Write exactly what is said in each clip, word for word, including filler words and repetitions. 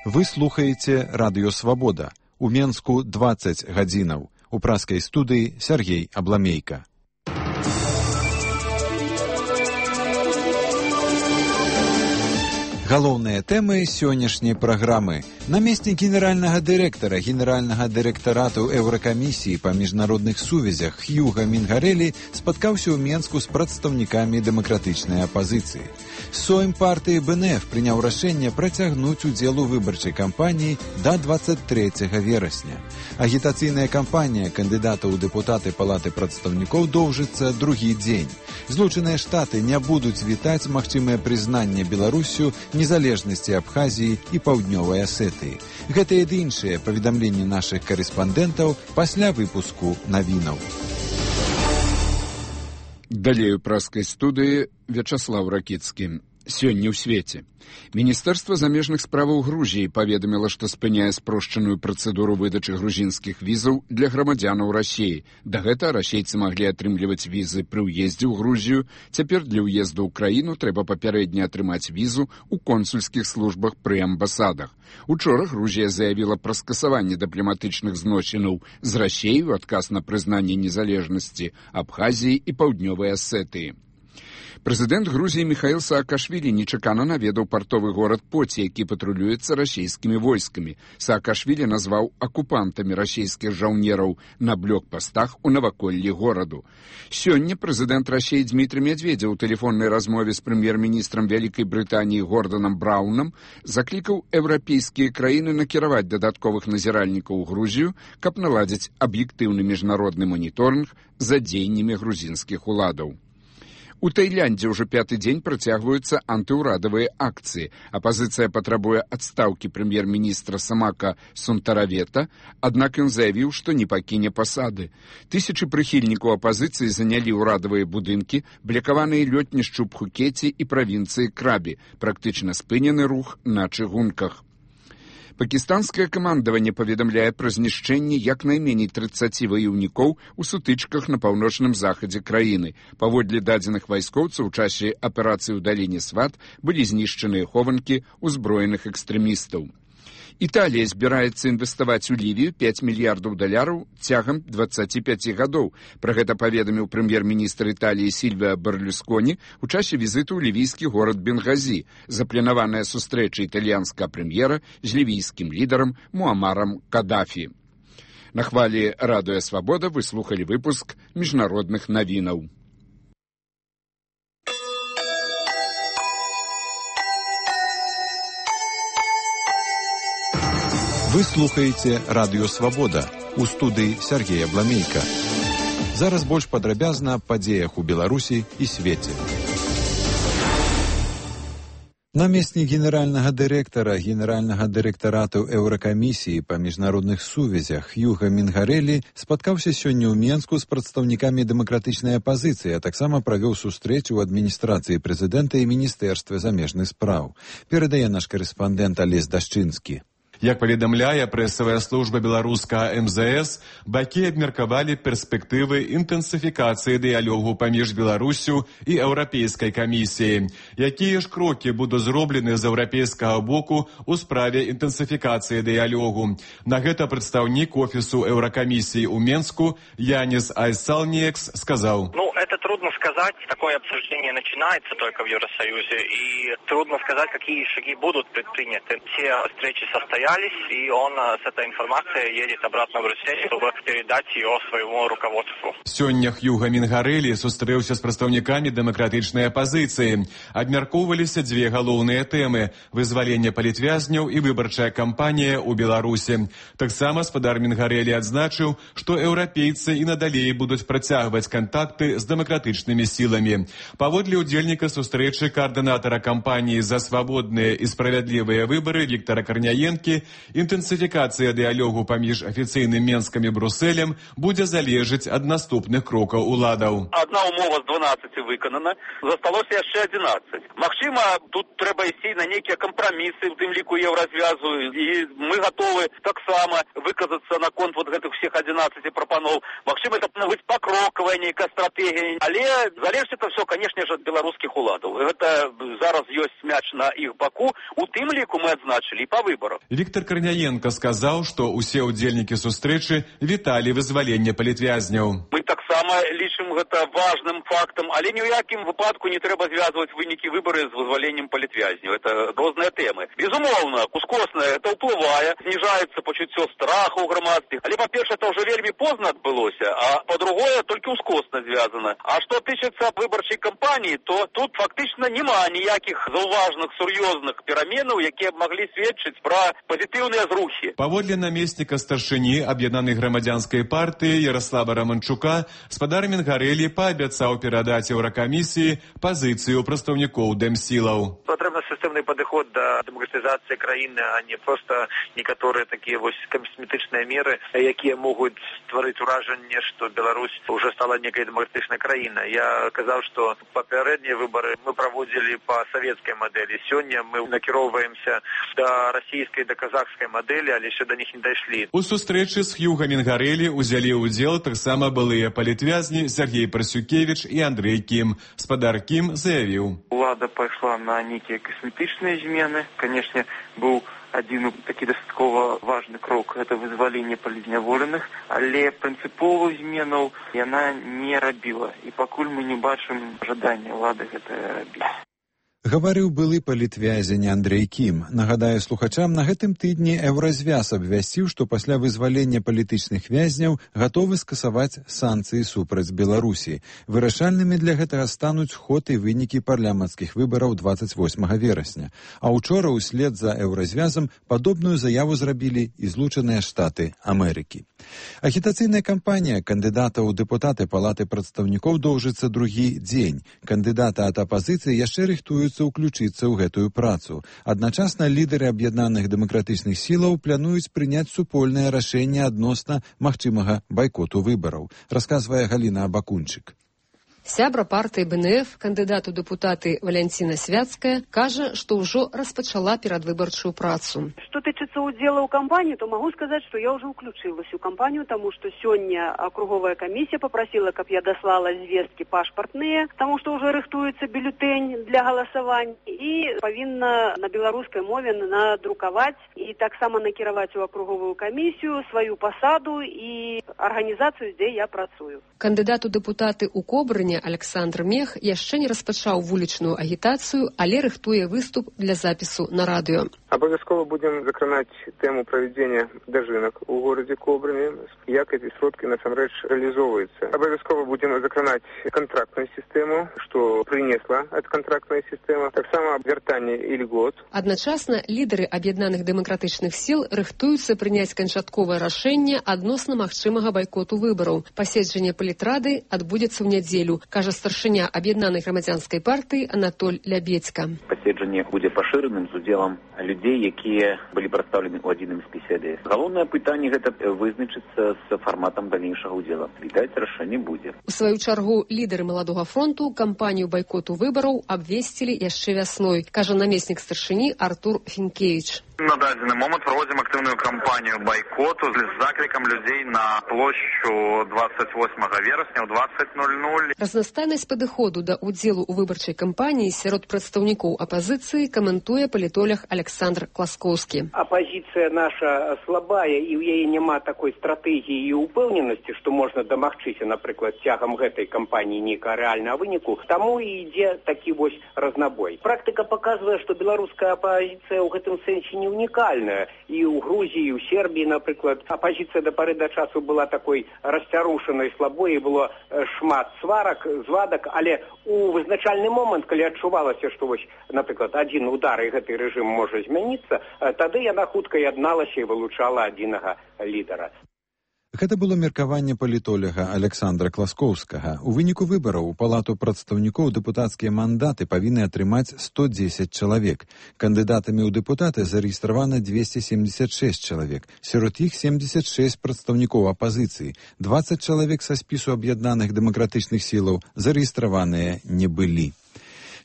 Вы слухаеце Радыё Свабода. У Менску дваццаць гадзінаў. У праскай студыі Сергей Абламейка. Галоўныя тэмы сённяшняй праграмы. Намеснік генеральнага дырэктара генеральнага дырэктарату Еўракамісіі па міжнародных сувязях Хьюга Мінгарэлі спаткаўся ў Менску з прадстаўнікамі дэмакратычнай апазіцыі. Сойм партыі бэ эн эф прыняў рашэнне працягнуць удзел у выбарчай кампаніі да дваццаць трэцяга верасня. Агітацыйная кампанія кандыдатаў у дэпутаты палаты прадстаўнікоў доўжыцца другі дзень. Злучаныя Штаты не будуць вітаць магчымае прызнанне Беларусю незалежнасці Абхазіі і Паўднёвай Асетыі. Гэтыя ды іншыя паведамленні нашых карэспандэнтаў пасля выпуску навінаў. Далей у праскай студыі Вячаслаў Ракіцкі. Сёння ў свеце. Міністэрства замежных справаў Грузіі паведаміла, што спыняе спрошчаную працэдуру выдачы грузінскіх візаў для грамадзянаў Расіі. Дагэтуль расейцы маглі атрымліваць візы пры ўездзе ў Грузію. Цяпер для ўезду ў краіну трэба папярэдне атрымаць візу ў консульскіх службах пры амбасадах. Учора Грузія заявіла пра скасаванне дыпламатычных зносінаў з Расіяй у адказ на прызнанне незалежнасці Абхазіі і Паўднёвай Асетыі. Прэзідэнт Грузіі Міхаіл Саакашвілі нечакана наведаў партовы горад Поці, які патрулюецца расійскімі войскамі. Саакашвілі назваў акупантамі расійскіх жаўнераў на блокпастах у наваколлі гораду. Сёння прэзідэнт Расіі Дмітрый Медведзеў у тэлефоннай размове з прэм'ер-міністрам Вялікай Брытаніі Горданам Браўнам заклікаў еўрапейскія краіны накіраваць дадатковых назіральнікаў у Грузію, каб наладзіць аб'ектыўны міжнародны маніторынг за дзеяннямі грузінскіх уладаў. У Таіландзе ўжо пяты дзень працягваюцца антыўрадавыя акцыі. Апазіцыя патрабуе адстаўкі прэм'ер-міністра Самака Сунтаравета, аднак ён заявіў, што не пакіне пасады. Тысячы прыхільнікаў апазіцыі занялі ўрадавыя будынкі, блякаваныя лётнішчы ў Пхукеце і правінцыі Крабі, практычна спынены рух на чыгунках. Пакістанскае камандаванне паведамляе пра знішчэнне як найменей трыццаці ваяўнікоў у сутычках на паўночным захадзе краіны. Паводле дадзеных вайскоўцаў, у часе аперацыі ў даліне Сват былі знішчаныя хованкі ўзброеных экстрэмістаў. Італія збіраецца інвеставаць у Лівію пяць мільярдаў даляраў цягам дваццаці пяці гадоў. Пра гэта паведаміў прэм'ер-міністр Італіі Сільвіа Берлюсконі у часе візіту ў лівійскі горад Бенгазі. Запланаваная сустрэча італьянскага прэм'ера з лівійскім лідарам Муамарам Кадафі. На хвалі Радыё Свабода вы слухалі выпуск міжнародных навінаў. Вы слухаеце Радыё Свабода. У студыі Сергей Абламейка. Зараз больш падрабязна аб падзеях у Беларусі і свеце. Намеснік генеральнага дырэктара генеральнага дырэктарату Еўракамісіі па міжнародных сувязях Хьюга Мінгарэлі спаткаўся сёння ў Менску з прадстаўнікамі дэмакратычнай апазіцыі, а таксама правёў сустрэчу ў адміністрацыі прэзідэнта і міністэрстве замежных спраў. Перадае наш карэспандэнт Алесь Дашчынскі. Як паведамляе прэсавая служба беларускага эм зэ эс, бакі абмеркавалі перспектывы інтэнсіфікацыі дыялогу паміж Беларусю і Еўрапейскай камісіяй. Якія ж крокі будуць зроблены з еўрапейскага боку ў справе інтэнсіфікацыі дыялогу? На гэта прадстаўнік офісу Еўракамісіі ў Менску Янис Айсалниекс сказаў. Ну, это трудно сказать. Такое обсуждение начинается только в Евросоюзе, и трудно сказать, какие шаги будут предприняты. Все встречи состоятся, и он с этой информацией едет обратно в Россию, чтобы передать ее своему руководству. Сёння Хьюга Мінгарэлі сустрэўся з прадстаўнікамі дэмакратычнай апазіцыі. Абмяркоўваліся дзве галоўныя тэмы – вызваленне палітвязняў і выбарчая кампанія ў Беларусі. Таксама спадар Мінгарэлі адзначыў, што еўрапейцы і надалей будуць працягваць кантакты з дэмакратычнымі сіламі. Паводле ўдзельніка сустрэчы каардынатара кампаніі «За свабодныя і справядлівыя выбары» Віктара Карняенкі, дадалі, інтэнсіфікацыя дыялогу паміж афіцыйным Менскам і Брусэлем будзе залежыць ад наступных крокаў уладаў. Одна умова з дванаццаці выканана, засталося яшчэ адзінаццаць. Магчыма, тут трэба ісці на нейкія кампрамісы, у тым ліку еўразвязу, і мы гатовы таксама выказацца наконт вот гэтых всех адзінаццаці прапаноў. Магчыма, это быць пакрокавая нейкая стратэгія, але залежыць это все, конечно же, ад беларускіх уладаў. Гэта зараз ёсць мяч на іх баку, у тым ліку мы адзначылі і па выбарах. Віктор Карняенко сказаў, што ўсе ўдзельнікі сустрэчы віталі вызваленне палітвязняў. Мы таксама лічым гэта важным фактам, але ні ў якім выпадку не трэба звязваць вынікі выбары з вызваленнем палітвязняў. Это розныя тэмы. Безумоўна, ускосна это ўплывае, зніжаецца пачуццё страху ў грамадстве. Але, па-першае, это ўжо вельмі позна адбылося, а па-другое, толькі ускосна звязана. А што тычыцца выбарчай кампаніі, то тут фактычна няма ніякіх заўважных, сур'ёзных пераменаў, якія б маглі сведчыць пра пазітыўныя зрухі. Паводле намесніка старшыні аб'яднанай грамадзянскай партыі Ярослава Раманчука, спадар Мінгарэлі паабяцаў перадаць еўракамісіі пазіцыю прадстаўнікоў дэмсілаў. Патрэбны сістэмны падыход да дэмакратызацыі краіны, а не проста некаторыя такія вось касметычныя меры, якія могуць стварыць уражанне, што Беларусь уже стала некай дэмакратычнай краінай. Я казаў, што папярэднія выбары мы праводзілі па савецкай мадэлі. Сёння мы накіроўваемся да расійскай, да казахскай мадэлі, але яшчэ да них не дайшлі. У сустрэчы з Хьюга Мінгарэлі ўзялі ўдзел таксама былыя палітвязні Сергей Парасюкевіч і Андрэй Кім. Спадар Кім заявіў: Улада пайшла на нейкія касметычныя змены. Канешне, быў адзін такі дастаткова важны крок, гэта вызваленне палізняволеных, але прынцыповых зменаў яна не рабіла. І пакуль мы не бачым жадання улады гэта рабіць. Гаварыў былы палітвязень Андрэй Кім. Нагадаю слухачам, на гэтым тыдні Еўразвяз абвясціў, што пасля вызвалення палітычных вязняў гатовы скасаваць санкцыі супраць Беларусі. Вырашальнымі для гэтага стануць ход і вынікі парламенцкіх выбараў дваццаць восьмага верасня. А учора ўслед за Еўразвязам падобную заяву зрабілі і Злучаныя Штаты Амерыкі. Агітацыйная кампанія кандыдата ў дэпутаты Палаты прадстаўнікоў доўжыцца другі дзень. Кандыдаты ад апазіцыі яшчэ рыхтуюцца уключыцца ў гэтую працу. Адначасна лідары аб'яднаных дэмакратычных сілаў плануюць прыняць супольнае рашэнне адносна магчымага байкоту выбараў, расказвае Галіна Абакунчык. Сябра партыі БНФ, кандыдат у дэпутаты Валянціна Свяцкая, кажа, што ўжо распачала перадвыбарчую працу. Што тычыцца ўдзела ў кампанію, то магу сказаць, што я ўжо ўключылась у кампанію, таму што сёння акруговая камісія папрасіла, каб я даслала звесткі пашпартныя, таму што ўжо рыхтуецца бюлетэнь для галасавання і павінна на беларускай мове надрукаваць і таксама накіраваць у акруговую камісію сваю пасаду і арганізацыю, дзе я працую. Кандыдат у дэпутаты ў Кобрыне Александр Мех яшчэ не распачаў вулічную агітацыю, але рыхтуе выступ для запісу на радыё. Обовязково будем закранать тему проведения дожинок у городе Кобрыне, як эти сродки насамрэч реализовываются. Обовязково будем закранать контрактную систему, что принесла эта контрактная система, так само вертание и льгот. Адначасна лідары аб'яднаных дэмакратычных сіл рыхтуюцца прыняць канчатковае рашэнне адносна магчымага байкоту выбараў. Паседжанне палітрады адбудзецца ў нядзелю, кажа старшыня аб'яднанай грамадзянскай партыі Анатоль Лябедзька. Паседжанне будзе пашыраным з удзелам людзей, якія былі прадстаўлены ў адзіным спісе. Галоўнае пытанне гэта вызначыцца з фарматам далейшага ўдзела. Відаць, рашэнне будзе. У сваю чаргу лідары маладога фронту кампанію байкоту выбараў абвесцілі яшчэ вясной, кажа намеснік старшыні Артур Фінкевіч. На дадзены момант праводзім актыўную кампанію байкоту з заклікам людзей на плошчу двадцать восьмага верасня ў двадцать ноль ноль. Разнастайнасць падыходу да ўдзелу ў выбарчай кампаніі сярод прадстаўнікоў апазіцыі каментуе палітолог Александр Класкоўскі. Апазіцыя наша слабая і ў яе няма такой стратэгіі і упэўненасці, што можна дамагчыся, напрыклад, цягам гэтай кампаніі нейкага рэальнага выніку. Таму і ідзе такі вось разнабой. Практыка паказвае, што беларуская апазіцыя ў гэтым сэнсе не унікальная. І ў Грузіі, і ў Сербіі, напрыклад, апазіцыя да пары да часу была такой расцярушанай, слабой, і было шмат сварак, звадак, але у вызначальны момант, калі адчувалася, што вось, напрыклад, адзін удар і гэты рэжым можа змяніцца, тады яна хутка ядналася і вылучала адзінага лідара. Гэта было меркаванне палітоляга Александра Класкоўскага. У выніку выбараў у палату прадстаўнікоў дэпутацкія мандаты павінны атрымаць сто дзесяць чалавек. Кандыдатамі ў дэпутаты зарэгістравана двести семьдесят шесть чалавек. Сярод іх семьдесят шесть прадстаўнікоў апазіцыі. двадцать чалавек са спісу аб'яднаных дэмакратычных сілаў зарэгістраваныя не былі.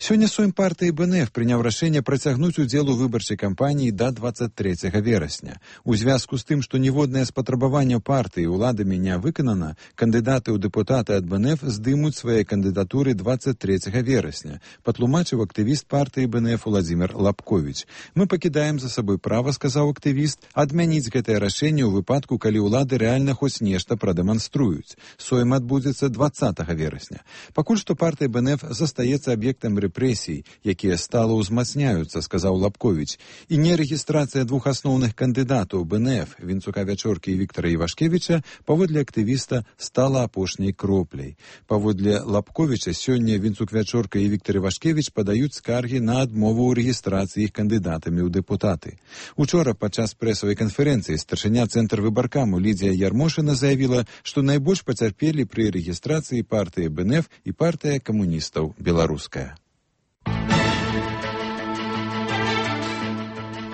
Сёння Сойм партыі Бэ Эн Эф прыняў рашэнне працягнуць удзел у выбарчай кампаніі да двадцать трэцяга верасня. У звязку з тым, што ніводнае з патрабаванняў партыі ўладамі не выканана, кандыдаты ў дэпутаты ад Бэ Эн Эф здымуць свае кандыдатуры двадцать трэцяга верасня, патлумачыў актывіст партыі Бэ Эн Эф Уладзімір Лапковіч. Мы пакідаем за сабой права, сказаў актывіст, адмяніць гэтае рашэнне ў выпадку, калі ўлады рэальна хоць нешта прадэманструюць. Сойм адбудзецца двадцатага верасня. Пакуль што партыя Бэ Эн Эф застаецца аб'ектам рэпрэсій, якія стала ўзмацняюцца, сказаў Лапковіч. І нерэгістрацыя двух асноўных кандыдатаў Бэ Эн Эф, Вінцука Вячоркі і Віктара Івашкевіча, паводле актывіста стала апошняй кропляй. Паводле Лапковіча, сёння Вінцук Вячорка і Віктар Івашкевіч падаюць скаргі на адмову ў рэгістрацыі іх кандыдатамі ў дэпутаты. Учора падчас прэсавай канферэнцыі старшыня цэнтр выбаркаму Лідзія Ярмошына заявіла, што найбольш пацярпелі пры рэгістрацыі партыі Бэ Эн Эф і партыя камуністаў беларуская.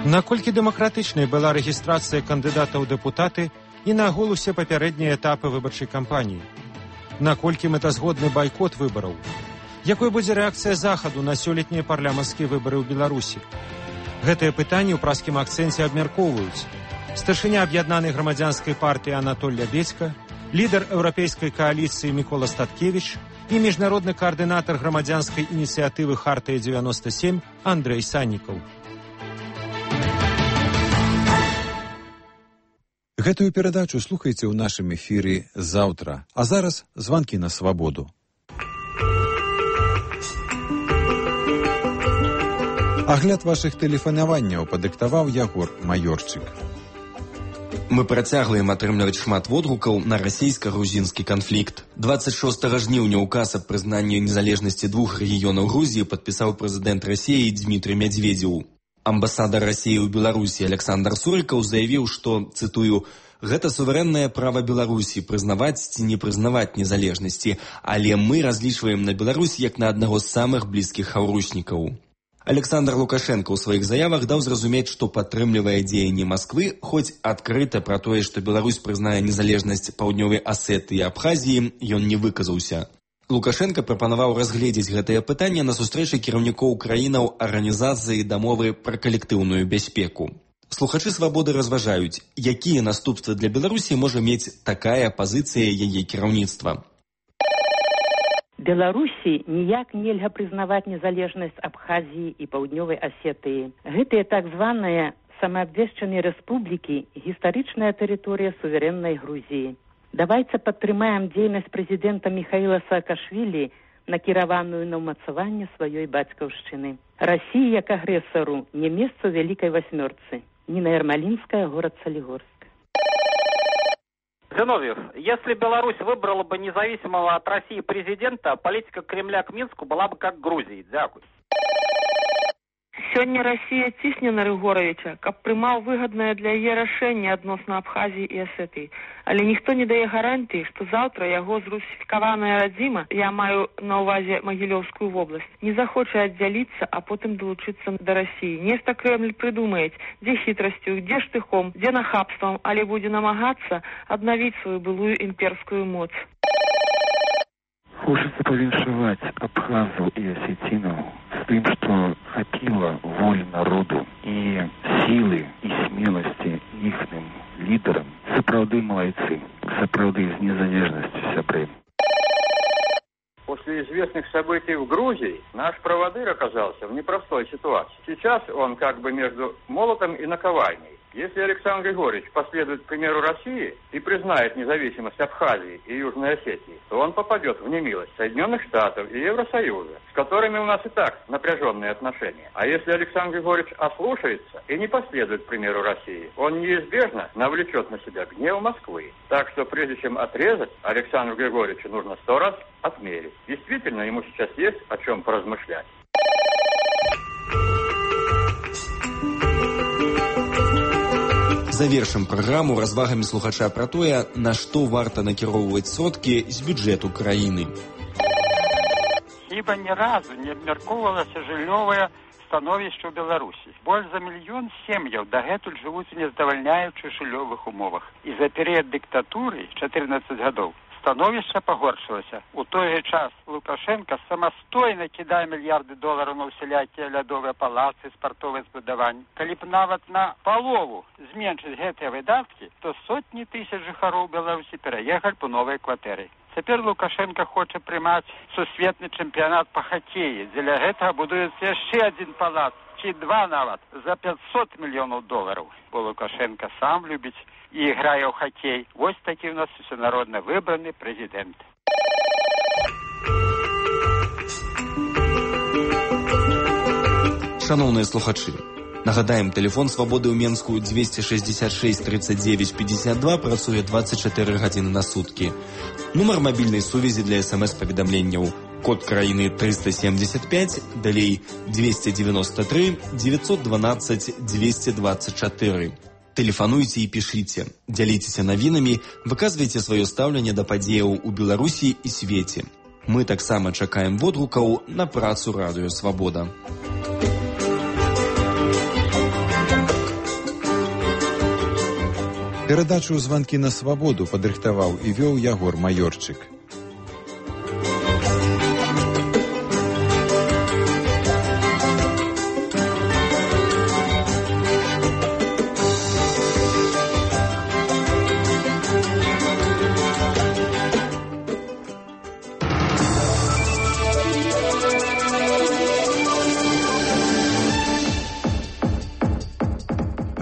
Наколькі дэмакратычнай была рэгістрацыя кандыдата ў дэпутаты і нагул усе папярэднія этапы выбарчай кампаніі? Наколькі мэтазгодны байкот выбараў? Якой будзе рэакцыя захаду на сёлетнія парламенцкія выбары ў Беларусі? Гэтыя пытанні ў праскім акцэнце абмяркоўваюць старшыня аб'яднанай грамадзянскай партыі Анатоль Лябедзька, лідар еўрапейскай кааліцыі Мікола Статкевіч і міжнародны каардынатар грамадзянскай ініцыятывы Хартыя дзевяноста сем Андрэй Саннікаў. Гэтую перадачу слухайце ў нашым эфіры заўтра. А зараз званкі на свабоду. Агляд вашых тэлефанаванняў падыктаваў Ягор Маёрчык. Мы працягваем атрымліваць шмат водгукаў на расійска-грузінскі канфлікт. двадцать шостага жніўня ўказ аб прызнанні незалежнасці двух рэгіёнаў Грузіі падпісаў прэзідэнт Расіі Дзмітрый Мядзведзеў. Амбасадар Расіі ў Беларусі Александр Сурыкаў заявіў, што, цытую, «Гэта суверэннае права Беларусі прызнаваць ці не прызнаваць незалежнасці, але мы разлічваем на Беларусь як на аднаго з самых блізкіх хаўручнікаў». Александр Лукашенко ў сваіх заявах даў зразумець, што падтрымлівае дзеянні Масквы, хоць адкрыта пра тое, што Беларусь прызнае незалежнасць Паўднёвай Асетыі і Абхазіі, ён не выказаўся. Лукашенко прапанаваў разгледзець гэтае пытанне на сустрэчы кіраўнікоў краінаў арганізацыі дамовы пра калектыўную бяспеку. Слухачы свабоды разважаюць, якія наступствы для Беларусі можа мець такая пазіцыя яе кіраўніцтва. Беларусі ніяк нельга прызнаваць незалежнасць Абхазіі і Паўднёвай Асетыі. Гэтыя так званыя самаабвешчаныя рэспублікі – гістарычная тэрыторыя суверэннай Грузіі. Давайце падтрымаем дзейнасць прэзідэнта Міхаіла Саакашвілі, накіраваную на ўмацаванне сваёй бацькаўшчыны. Расіі як агрэсару не месца ў Вялікай Васьмёрцы. Нина Ермолинская, город Солигорск. Зиновьев, если Беларусь выбрала бы независимого от России президента, политика Кремля к Минску была бы как Грузии. Дякую. Сёння Расія цісне на Рыгоровича, каб прымаў выгаднае для яе рашэнне адносна Абхазіі і Асетыі. Але ніхто не дае гарантыі, што заўтра яго зрусіфікаваная радзіма, я маю на ўвазе Магілёўскую вобласць, не захоча аддзяліцца, а потым далучыцца да Расіі. Нешта Кремль прыдумаюць, дзе хітрасцю, дзе штыхом, дзе нахабствам, але будзе намагацца аднавіць сваю былую імперскую моц. Хочется повіншаваць абхазаў і асецінаў з тым, што хапіла волі народу і сілы і смеласці іхным лідарам. Сапраўды малайцы, сапраўды з незалежнасцю сябры. После известных событий в Грузии наш проводырь оказался в непростой ситуации. Сейчас он как бы между молотом и наковальней. Если Александр Григорьевич последует примеру России и признает независимость Абхазии и Южной Осетии, то он попадет в немилость Соединенных Штатов и Евросоюза, с которыми у нас и так напряженные отношения. А если Александр Григорьевич ослушается и не последует примеру России, он неизбежно навлечет на себя гнев Москвы. Так что прежде чем отрезать, Александру Григорьевичу нужно сто раз отмерить. Действительно, ему сейчас есть о чем поразмышлять. Завершым праграму развагамі слухача пра тое, на што варта накіроўваць сродкі з бюджэту краіны. Хіба ні разу не абмяркоўвалася жыллёвае становішча ў Беларусі. Больш за мільён сем'яў дагэтуль жывуць у нездавальняючых жыллёвых умовах. І за перыяд дыктатуры чатырнаццаць гадоў становішча пагоршылася. У той жа час Лукашенко самастойна кідае мільярды долараў на ўсялякія лядовыя палацы, спартовыя збудаванні. Калі б нават на палову зменшыць гэтыя выдаткі, то сотні тысяч жыхароў Беларусі пераехалі б у новыя кватэры. Цяпер Лукашенко хоча прымаць сусветны чэмпіянат па хакеі. Дзеля гэтага будуецца яшчэ адзін палац, ці два нават, за пятьсот мільёнаў долараў. Бо Лукашенко сам любіць і грае ў хакей. Вось такі ў нас усенародна выбраны прэзідэнт. Шановныя слухачы, нагадаем, тэлефон свабоды ў Менску двести шестьдесят шесть тридцать девять пятьдесят два працуе двадцать четыре гадзіны на суткі. Нумар мабільнай сувязі для смс-паведамленняў. Код краіны триста семьдесят пять, далей двести девяносто три девятьсот двенадцать двести двадцать четыре. Тэлефануйце і пішыце, дзяліцеся навінамі, выказвайце сваё стаўленне да падзеяў у Беларусі і свеце. Мы таксама чакаем водгукаў на працу радыё «Свабода». Перадачу «Званкі на свабоду» падрыхтаваў і вёў Ягор Маёрчык.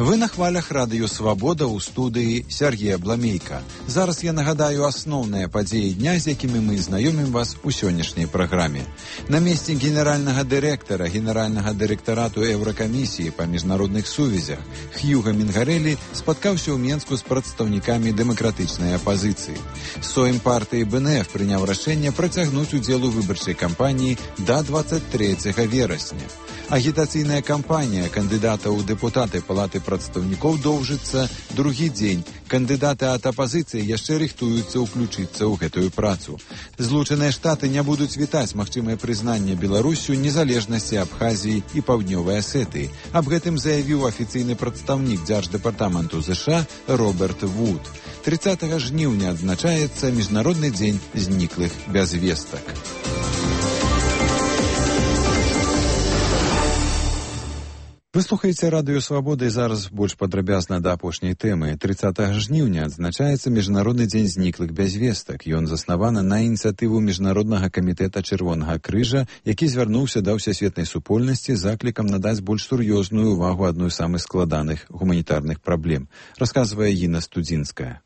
Вы на хвалях радыё «Свабода» ў студыі Сергея Бламейка. Зараз я нагадаю асноўныя падзеі дня, з якімі мы знаёмім вас у сённяшняй праграме. Намеснік генеральнага дырэктара Генеральнага дырэктарату Еўракамісіі па міжнародных сувязях Хьюга Мінгарэлі спаткаўся ў Менску з прадстаўнікамі дэмакратычнай апазіцыі. Сойм партыі бэ эн эф прыняў рашэнне працягнуць удзел у выбарчай кампаніі да двадцать трэцяга верасня. Агітацыйная кампанія кандыдатаў у дэпутаты Палаты прадстаўнікоў доўжыцца другі дзень. Кандыдаты ад апазіцыі яшчэ рыхтуюцца ўключыцца ў гэтую працу. Злучаныя Штаты не будуць вітаць магчымае прызнанне Беларусю незалежнасці Абхазіі і Паўднёвай Асетыі. Аб гэтым заявіў афіцыйны прадстаўнік дзярждэпартаменту ЗША Роберт Вуд. тридцатага жніўня адзначаецца Міжнародны дзень зніклых без вестак. Вы слухаеце радыё «Свабода» і зараз больш падрабязна да апошняй тэмы. тридцатага жніўня адзначаецца Міжнародны дзень зніклых без вестак. Ён заснаваны на ініцыятыву Міжнароднага камітэта Чырвонага крыжа, які звярнуўся да ўсесветнай супольнасці заклікам надаць больш сур'ёзную ўвагу адной з самых складаных гуманітарных праблем. Расказвае Іна Студзінская.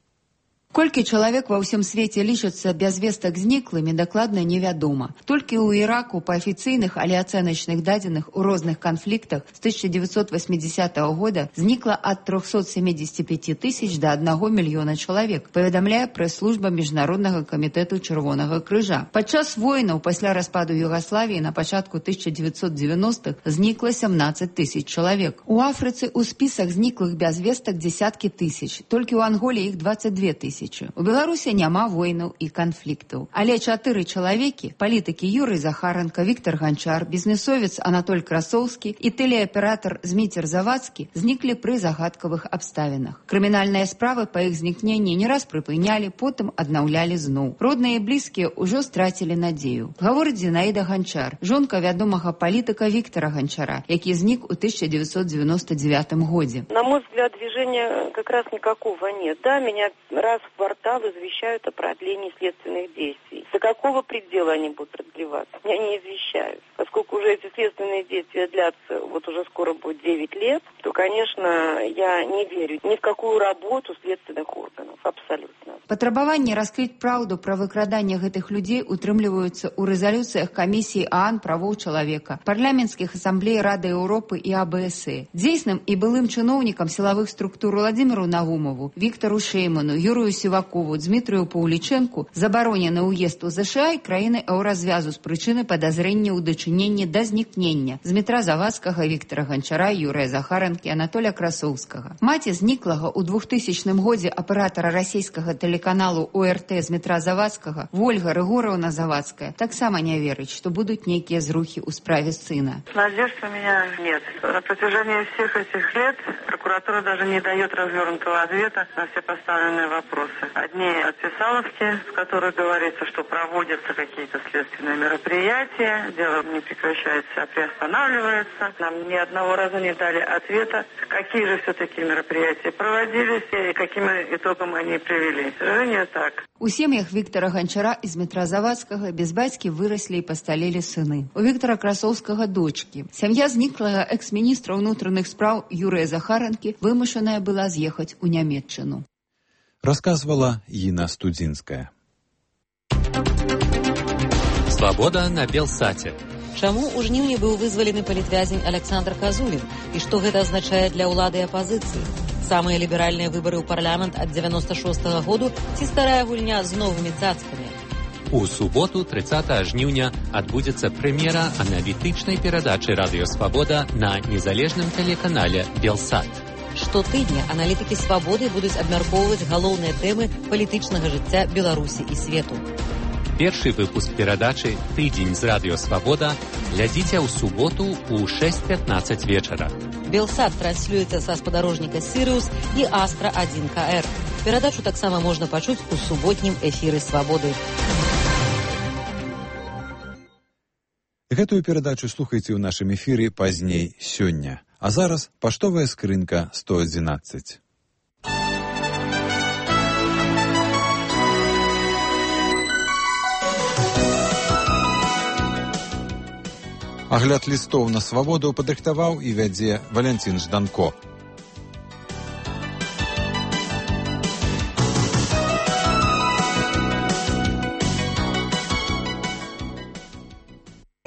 Колькі чалавек ва ўсім свеце лічацца без вестак зніклымі, дакладна невядома. Толькі ў Іраку па афіцыйных, але ацэначных дадзеных у розных канфліктах з тысяча девятьсот восьмидесятого года знікла ад трёхсот семидесяти пяти тысяч да аднаго мільёна чалавек, паведамляе прэс-служба Міжнароднага камітэту Чырвонага крыжа. Падчас войнаў пасля распаду Югаславіі на пачатку тысяча девятьсот девяностых знікла семнадцать тысяч чалавек. У Афрыцы ў спісах зніклых без вестак дзесяткі тысяч, толькі ў Анголі іх двадцать две тысячи. У Беларусі няма войнаў і канфліктаў. Але чатыры чалавекі, палітыкі Юрый Захаранка, Віктор Ганчар, бізнесовец Анатоль Красоўскі і тэлеаператар Зміцер Завадскі зніклі пры загадкавых абставінах. Крымінальныя справы па іх знікненні не раз прыпынялі, потым аднаўлялі зноў. Родныя і блізкія ўжо страцілі надзею. Гаворыць Зінаіда Ганчар, жонка вядомага палітыка Віктора Ганчара, які знік у тысяча девятьсот девяносто девятом годзе. На мой взгляд, движения как раз никакого нет. Да, меня раз в квартал извещают о продлении следственных действий. До какого предела они будут продлеваться? Меня не извещают. Поскольку уже эти следственные действия длятся, вот уже скоро будет девять лет, то, конечно, я не верю ни в какую работу следственных органов. Абсолютно. Патрабаванні раскрыць праўду пра выкраданне гэтых людзей утрымліваюцца ў рэзалюцыях камісіі ААН правоў чалавека, парламенцкіх асамблей Рады Еўропы і А Б С Э. Дзейсным і былым чыноўнікам сілавых структур Владзіміру Нагумову, Віктору Шейману, Юрію Сівакову, Дмітрію Паўлічэнку забаронены ўезд у ЗША і краіны еўразвязу з прычыны падазрення ў дачыненні да знікнення Дмітра Завадскага, Віктора Ганчара, Юрыя Захаранкі, Анатоля Красоўскага. Маці зніклага ў двухтысячным годзе аператара расійскага тэлеканалу ОРТ Дмітра Завадскага, Вольга Рыгораўна Завадская, таксама не верыць, што будуць нейкія зрухі ў справе сына. Надежд у меня нет. На протяжении всех этих лет прокуратура даже не дает развернутого ответа на все поставленные вопросы. Одни отписаловки, в которых говорится, что проводятся какие-то следственные мероприятия, дело не прекращается, а приостанавливается. Нам ни одного раза не дали ответа, какие же все-таки мероприятия проводились и каким итогом они привели. К сожалению, так. У сем'ях Віктора Ганчара і Дмітра Завадскага без бацькі выраслі і пасталелі сыны. У Віктора Красоўскага дочкі. Сям'я зніклага экс-міністра ўнутраных спраў Юрыя Захаранкі вымушаная была з'ехаць у Нямецчыну. Расказвала Інна Студзінская. Свабода на Белсаце. Чаму ў жніўні быў вызвалены палітвязень Александр Казулін і што гэта азначае для ўлады і апазіцыі? Самыя ліберальныя выбары ў парламент ад дзевяноста шостага году ці старая гульня з новымі цацкамі? У суботу, трыццатага жніўня, адбудзецца прэм'ера аналітычнай перадачы «Радыё Свабода» на незалежным тэлеканале «Белсат». Штотыдня аналітыкі «Свабоды» будуць абмяркоўваць галоўныя тэмы палітычнага жыцця Беларусі і свету. Першы выпуск перадачы «Тыдзень з Радыё Свабода» глядзіце ў суботу ў шэсць пятнаццаць вечара. «Белсат» транслюецца са спадарожніка «Сірыус» і «Астра адзін ка эр». Перадачу таксама можна пачуць у суботнім эфіры «Свабоды». Гэтую перадачу слухайце ў нашым эфіры пазней сёння. А зараз паштовая скрынка сто адзінаццаць. Агляд лістоў на свабоду падрыхтаваў і вядзе Валянцін Жданко.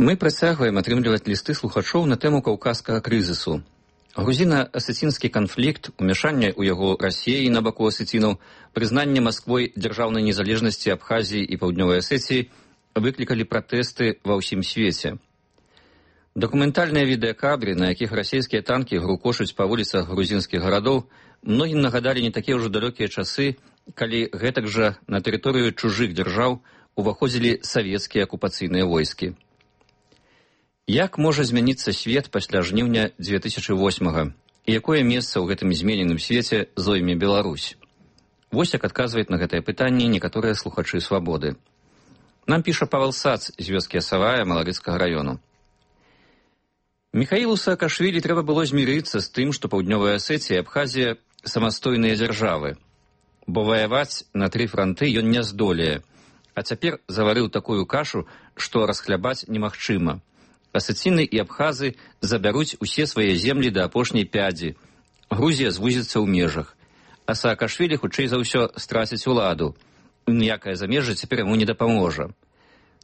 Мы працягваем атрымліваць лісты слухачоў на тэму каўказскага крызісу. Грузіна-асецінскі канфлікт, умяшанне ў яго Расіі на баку асецінаў, прызнанне Масквой дзяржаўнай незалежнасці Абхазіі і Паўднёвай Асецыі выклікалі пратэсты ва ўсім свеце. Дакументальныя відэакадры, на якіх расійскія танкі грукочуць па вуліцах грузінскіх гарадоў, многім нагадалі не такія ўжо далёкія часы, калі гэтак жа на тэрыторыю чужых дзяржаў уваходзілі савецкія акупацыйныя войскі. Як можа змяніцца свет пасля жніўня дзве тысячы восьмага і якое месца ў гэтым змененым свеце зойме Беларусь? Вось як адказваюць на гэтае пытанне некаторыя слухачы «Свабоды». Нам піша Павел Сац з вёскі Асавая Маларыцкага раёну. Міхаілу Саакашвілі трэба было змірыцца з тым, што Паўднёвая Асеція і Абхазія самастойныя дзяржавы, бо ваяваць на тры франты ён не здолее, а цяпер заварыў такую кашу, што расхлябаць немагчыма. Асеціны і абхазы забяруць усе свае землі да апошняй пядзі. Грузія звузіцца ў межах. А Саакашвілі хутчэй за ўсё страціць уладу. Ніякае замежжа цяпер яму не дапаможа.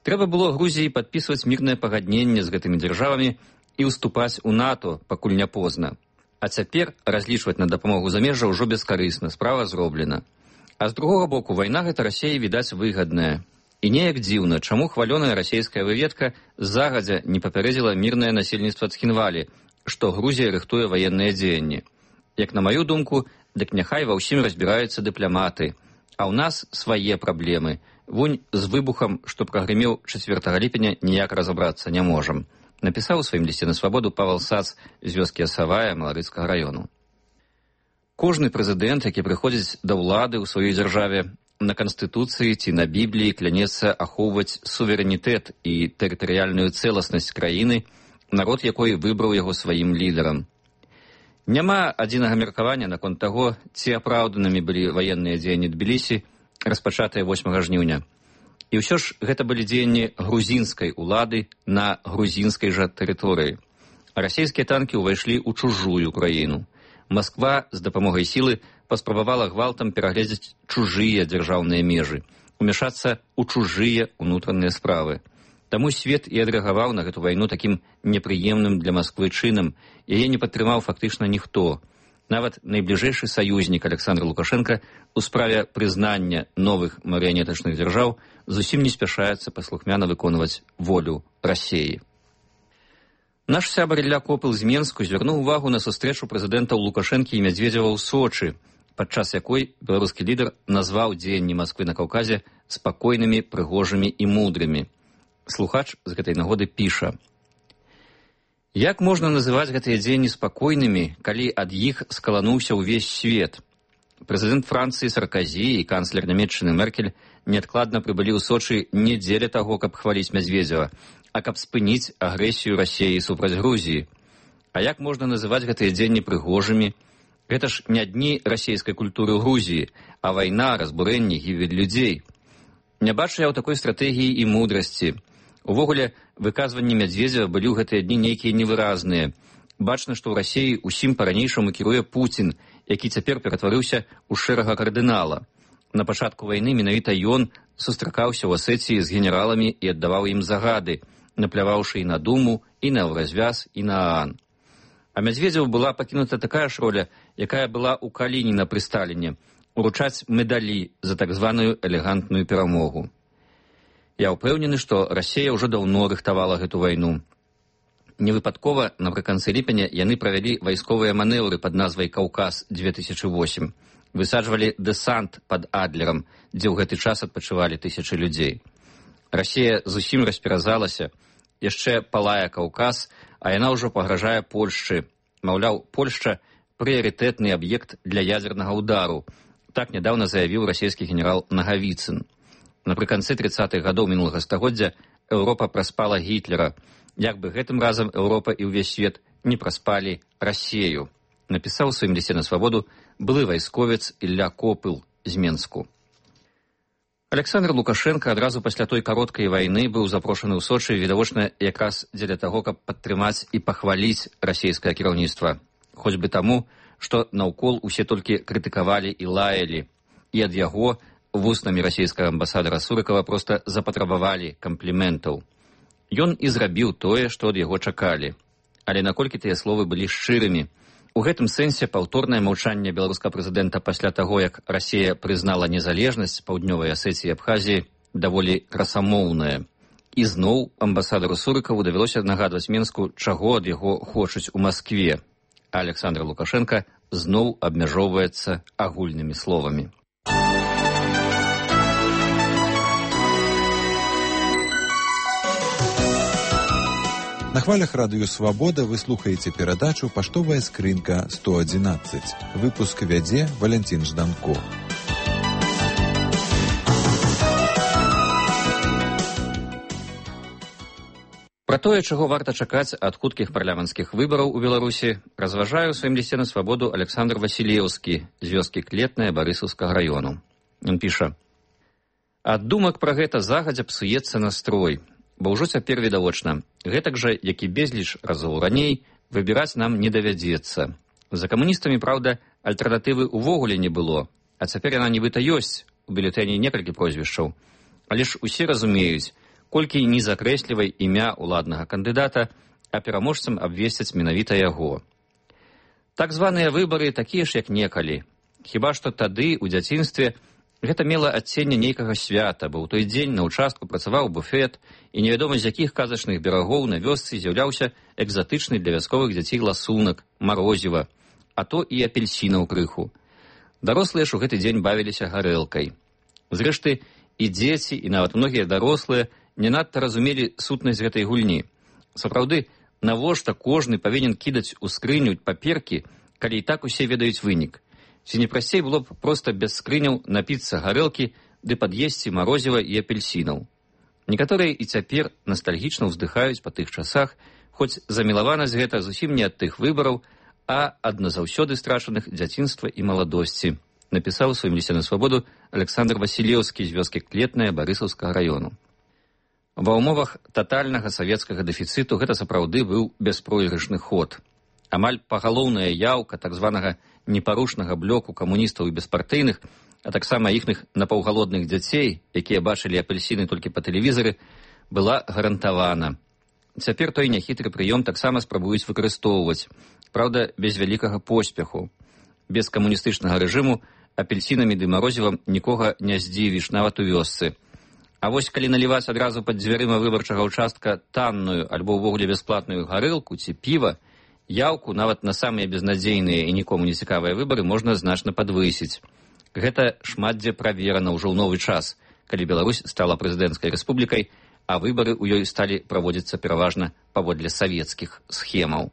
Трэба было Грузіі падпісваць мірнае пагадненне з гэтымі дзяржавамі і ўступаць у НАТО, пакуль не позна. А цяпер разлічваць на дапамогу замежжа ўжо бескарысна, справа зроблена. А з другога боку, вайна гэта Расіі, відаць, выгадная. І неяк дзіўна, чаму хвалёная расійская выведка загадзя не папярэдзіла мірнае насельніцтва Цхінвалі, што Грузія рыхтуе ваенныя дзеянні. Як на маю думку, дык няхай ва ўсім разбіраюцца дыпламаты, а ў нас свае праблемы. Вунь з выбухам, што прагрымеў чацвёртага ліпеня, ніяк разабрацца не можам. Напісаў у сваім лісце на свабоду Павел Сац з вёскі Асавая Маларыцкага раёну. Кожны прэзідэнт, які прыходзіць да ўлады ў сваёй дзяржаве, на Канстытуцыі ці на Бібліі клянецца ахоўваць суверэнітэт і тэрытарыяльную цэласнасць краіны, народ якой выбраў яго сваім лідарам. Няма адзінага меркавання наконт таго, ці апраўданымі былі ваенныя дзеянні Тбілісі, распачатыя восьмага жніўня. І ўсё ж гэта былі дзеянні грузінскай улады на грузінскай жа тэрыторыі. А расійскія танкі ўвайшлі ў чужую краіну. Масква з дапамогай сілы паспрабавала гвалтам перагледзець чужыя дзяржаўныя межы, умяшацца ў чужыя ўнутраныя справы. Таму свет і адрэагаваў на гэту вайну такім непрыемным для Масквы чынам, яе не падтрымаў фактычна ніхто. Нават найбліжэйшы саюзнік Александра Лукашенка у справе прызнання новых марыянетачных дзяржаў зусім не спяшаецца паслухмяна выконваць волю Расіі. Наш сябар Ілля Копыл з Менску звярнуў увагу на сустрэчу прэзідэнтаў Лукашэнкі і Мядзведзева ў Сочы, падчас якой беларускі лідар назваў дзеянні Масквы на Каўказе спакойнымі, прыгожымі і мудрымі. Слухач з гэтай нагоды піша: «Як можна называць гэтыя дзеянні спакойнымі, калі ад іх скалануўся ўвесь свет? Прэзідэнт Францыі Сарказі і канцлер Нямецчыны Меркель неадкладна прыбылі ў Сочы не дзеля таго, каб хваліць Мядзведзева, а каб спыніць агрэсію Расіі супраць Грузіі. А як можна называць гэтыя дзеянні прыгожымі? Гэта ж не дні расійскай культуры ў Грузіі, а вайна, разбурэнне, гібель людзей. Не бачу я ў такой стратэгіі і мудрасці. Увогуле, выказванні Мядзведзева былі ў гэтыя дні нейкія невыразныя. Бачна, што ў Расіі усім па-ранейшаму кіруе Пуцін, які цяпер ператварыўся ў шэрага кардынала. На пачатку вайны менавіта ён сустракаўся ў Асетіі з генераламі і аддаваў ім загады, напляваўшы і на Думу, і на Еўразвяз, і на ААН. А Мядзведзеву была пакінута такая ж роля, якая была ў Калініна пры Сталіне, уручаць медалі за так званую элегантную перамогу. Я ўпэўнены, што Расія ўжо даўно рыхтавала гэту вайну. Невыпадкова напрыканцы ліпеня яны правялі вайсковыя манеўры пад назвай «Каўказ две тысячы восемь». Высаджвалі дэсант пад Адлерам, дзе ў гэты час адпачывалі тысячы людзей. Расія зусім расперазалася, яшчэ палае Каўказ, а яна ўжо пагражае Польшчы. Маўляў, Польшча – прыярытэтны аб'ект для ядзернага ўдару. Так нядаўна заявіў расійскі генерал Нагавіцын. Напрыканцы трыццатых гадоў мінулага стагоддзя Еўропа праспала Гітлера. Як бы гэтым разам Еўропа і ўвесь свет не праспалі Расію, напісаў у сваім лісце на свабоду былы вайсковец Ілля Копыл з Менску. Александр Лукашенко адразу пасля той кароткай вайны быў запрошаны ў Сочы відавочна якраз дзеля таго, каб падтрымаць і пахваліць расійскае кіраўніцтва. Хоць бы таму, што наўкол усе толькі крытыкавалі і лаялі, і ад яго вуснамі расійскага амбасадара Сурыкова проста запатрабавалі кампліментаў. Ён і зрабіў тое, што ад яго чакалі. Але наколькі тыя словы былі шчырымі? У гэтым сэнсе паўторнае маўчанне беларускага прэзідэнта пасля таго, як Расія прызнала незалежнасць Паўднёвай Асетіі і Абхазіі, даволі красамоўнае. І зноў амбасадару Сурыкаву давялося нагадваць Менску, чаго ад яго хочуць у Маскве. А Александр Лукашенко зноў абмяжоўваецца агульнымі словамі. На хвалях радыё «Свабода» вы слухаеце перадачу «Паштовая скрынка сто адзінаццаць». Выпуск вядзе Валянцін Жданко. Пра тое, чаго варта чакаць ад хуткіх парламенцкіх выбараў у Беларусі, разважае ў сваім лісце на свабоду Александр Васілеўскі з вёскі Клетная Барысаўскага раёну. Ён піша: «Ад думак пра гэта загадзя псуецца настрой. Бо ўжо цяпер відавочна, гэтак жа, як і безліч разоў раней, выбіраць нам не давядзецца. За камуністамі, праўда, альтэрнатывы ўвогуле не было, а цяпер яна нібыта ёсць, у бюлетэні некалькі прозвішчаў. Але ж усе разумеюць, колькі не закрэслівай імя ўладнага кандыдата, а пераможцам абвесцяць менавіта яго. Так званыя выбары такія ж, як некалі. Хіба што тады, у дзяцінстве, гэта мела адценне нейкага свята, бо ў той дзень на ўчастку працаваў буфет, і невядома з якіх казачных берагоў на вёсцы з'яўляўся экзатычны для вясковых дзяцей ласунак, марозіва, а то і апельсінаў крыху. Дарослыя ж у гэты дзень бавіліся гарэлкай. Зрэшты, і дзеці, і нават многія дарослыя не надта разумелі сутнасць гэтай гульні. Сапраўды, навошта кожны павінен кідаць у скрыню паперкі, калі і так усе ведаюць вынік? Ці не прасцей было б проста без скрыняў напіцца гарэлкі ды пад'есці марозіва і апельсінаў. Некаторыя і цяпер настальгічна ўздыхаюць па тых часах, хоць замілаванасць гэта зусім не ад тых выбараў, а ад назаўсёды страчаных дзяцінства і маладосці, напісаў у сваім лісце на свабоду Александр Васілеўскі з вёскі Клетная Барысаўскага раёну. Ва ўмовах татальнага савецкага дэфіцыту гэта сапраўды быў бяспройгрышны ход. Амаль пагалоўная яўка так званага непарушнага блоку камуністаў і беспартыйных, а таксама іхных напаўгалодных дзяцей, якія бачылі апельсіны толькі па тэлевізары, была гарантавана. Цяпер той няхітры прыём таксама спрабуюць выкарыстоўваць, праўда, без вялікага поспеху. Без камуністычнага рэжыму апельсінамі ды марозівам нікога не здзівіш, нават у вёсцы. А вось калі наліваць адразу пад дзвярыма выбарчага ўчастка танную альбо ўвогуле бясплатную гарэлку ці піва, яўку нават на самыя безнадзейныя і нікому не цікавыя выбары можна значна падвысіць. Гэта шмат дзе праверана ўжо ў новы час, калі Беларусь стала прэзідэнцкай рэспублікай, а выбары ў ёй сталі праводзіцца пераважна паводле савецкіх схемаў.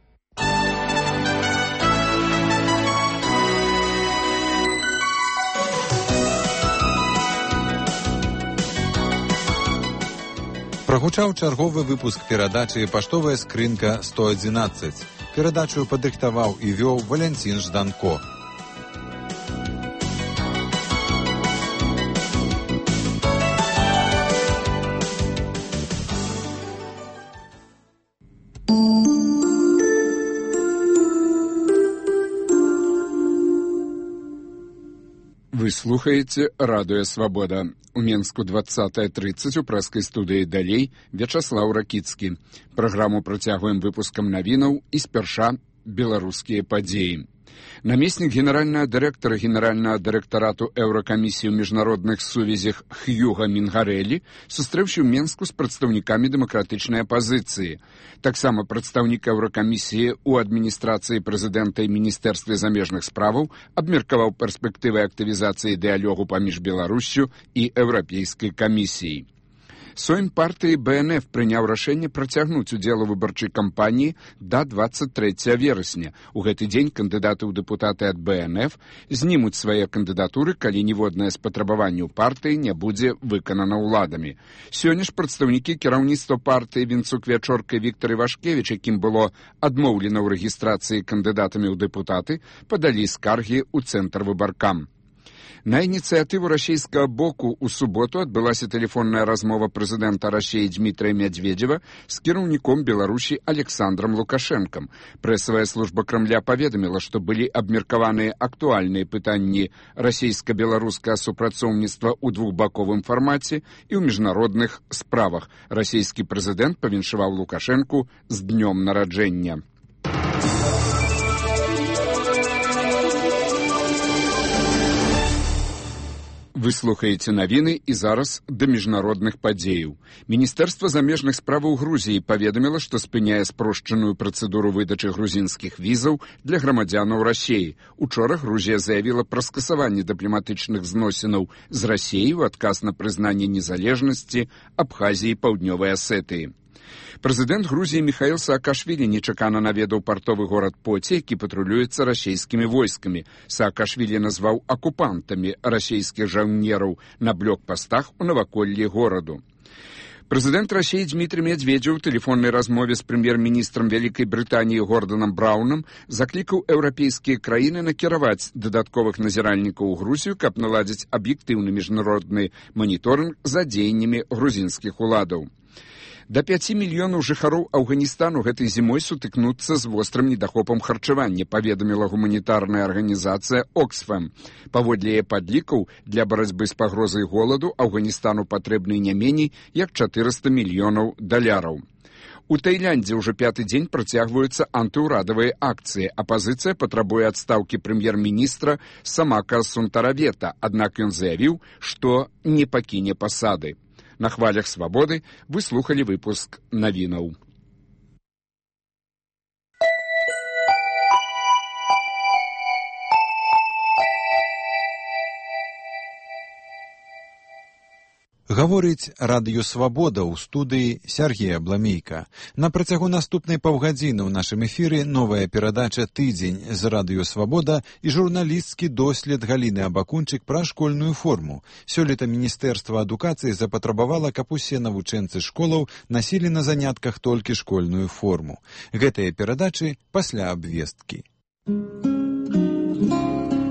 Прагучаў чарговы выпуск перадачы «Паштовая скрынка сто адзінаццаць». Перадачу падрыхтаваў і вёў Валянцін Жданко. Вы слухаеце радыё «Свабода». У Менску двадцатая тридцать у прэскай студыі «Далей» Вячаслаў Ракіцкі. Праграму працягваем выпускам навінаў і спярша беларускія падзеі. Намеснік генеральнага дырэктара генеральнага дырэктарату Еўракамісіі ў міжнародных сувязях Хьюга Мінгарэлі сустрэўся ў Менску з прадстаўнікамі дэмакратычнай апазіцыі. Таксама прадстаўнік Еўракамісіі ў адміністрацыі прэзідэнта і міністэрстве замежных справаў абмеркаваў перспектывы актывізацыі дыялогу паміж Беларуссю і Еўрапейскай камісіяй. Сойм партыі Бэ Эн Эф прыняў рашэнне працягнуць удзел у выбарчай кампаніі да двадцать трэцяга верасня. У гэты дзень кандыдаты ў дэпутаты ад Бэ Эн Эф знімуць свае кандыдатуры, калі ніводнае з патрабаванняў партыі не будзе выканана ўладамі. Сёння ж прадстаўнікі кіраўніцтва партыі Вінцук-Вячорка і Віктар Івашкевіч, якім было адмоўлена ў рэгістрацыі кандыдатамі ў дэпутаты, падалі скаргі ў цэнтр выбаркам. На ініцыятыву расійскага боку ў суботу адбылася тэлефонная размова прэзідэнта Расіі Дмітрыя Мядзведзева з кіраўніком Беларусі Александром Лукашэнкам. Прэсавая служба Крамля паведаміла, што былі абмеркаваныя актуальныя пытанні расійска-беларускага супрацоўніцтва ў двухбаковым фармаце і ў міжнародных справах. Расійскі прэзідэнт павіншаваў Лукашэнку з днём нараджэння. Вы слухаеце навіны і зараз да міжнародных падзеяў. Міністэрства замежных справаў Грузіі паведаміла, што спыняе спрошчаную працэдуру выдачы грузінскіх візаў для грамадзянаў Расіі. Учора Грузія заявіла пра скасаванне дыпламатычных зносінаў з Расіяй у адказ на прызнанне незалежнасці Абхазіі і Паўднёвай Асетыі. Прэзідэнт Грузіі Міхаіл Саакашвілі нечакана наведаў партовы горад Поці, які патрулюецца расійскімі войскамі. Саакашвілі назваў акупантамі расійскіх жаўнераў на блокпастах у наваколлі гораду. Прэзідэнт Расіі Дмітрый Мядзведзеў у тэлефоннай размове з прэм'ер-міністрам Вялікай Брытаніі Горданам Браўнам заклікаў еўрапейскія краіны накіраваць дадатковых назіральнікаў у Грузію, каб наладзіць аб'ектыўны міжнародны маніторынг за дзеяннямі грузінскіх уладаў. Да пяці мільёнаў жыхароў Афганістану гэтай зімой сутыкнуцца з вострым недахопам харчавання, паведаміла гуманітарная арганізацыя Оксфэм. Паводле яе падлікаў, для барацьбы з пагрозай голаду Афганістану патрэбны не меней як чатырыста мільёнаў даляраў. У Таіландзе ўжо пяты дзень працягваюцца антыўрадавыя акцыі. Апазіцыя патрабуе адстаўкі прэм'ер-міністра Самака Сунтаравета, аднак ён заявіў, што не пакіне пасады. На хвалях «Свабоды» вы слухали выпуск навінаў. Гаворыць радыё «Свабода» ў студыі Сергея Бламейка. На працягу наступнай паўгадзіны ў нашым эфіры новая перадача «Тыдзень» з радыё «Свабода» і журналісцкі дослед Галіны Абакунчык пра школьную форму. Сёлета Міністэрства адукацыі запатрабавала, каб усе навучэнцы школаў насілі на занятках толькі школьную форму. Гэтыя перадачы пасля абвесткі.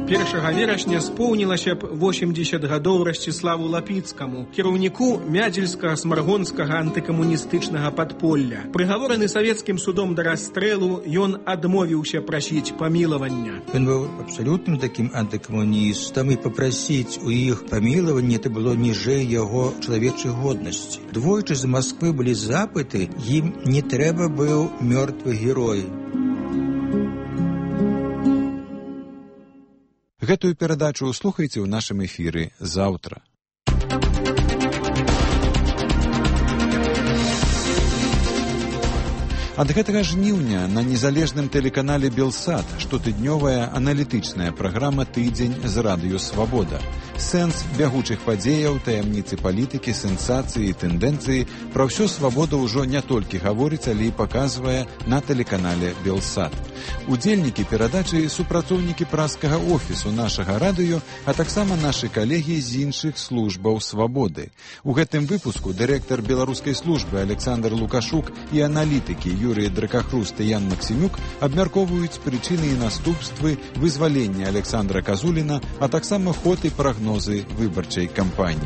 першага верасня споўнілася б восемьдесят гадоў Расціславу Лапіцкаму, кіраўніку Мядзельскага смаргонскага антыкамуністычнага падполля. Прыгавораны савецкім судом да расстрэлу, ён адмовіўся прасіць памілавання. Ён быў абсалютным такім антыкамуністам, і папрасіць у іх памілавання это было ніжэй яго чалавечай годнасці. Двойчы з Масквы былі запыты, ім не трэба быў мёртвы герой. Гэтую перадачу слухайце ў нашым эфіры заўтра. Ад гэтага жніўня на незалежным тэлеканале «Белсат» штотыднёвая аналітычная праграма «Тыдзень з радыё Свабода». Сэнс бягучых падзеяў, таямніцы палітыкі, сенсацыі і тэндэнцыі пра ўсё Свабода ўжо не толькі гаворыць, але і паказвае на тэлеканале «Белсат». Удзельнікі перадачы супрацоўнікі праскага офісу нашага радыё, а таксама нашы калегі з іншых службаў Свабоды. У гэтым выпуску дырэктар беларускай службы Александр Лукашук і аналітыкі Юрий Дракахруст і Ян Максимюк абмяркоўваюць прычыны і наступствы вызвалення Александра Казуліна, а таксама ход і прагнозы выбарчай кампаніі.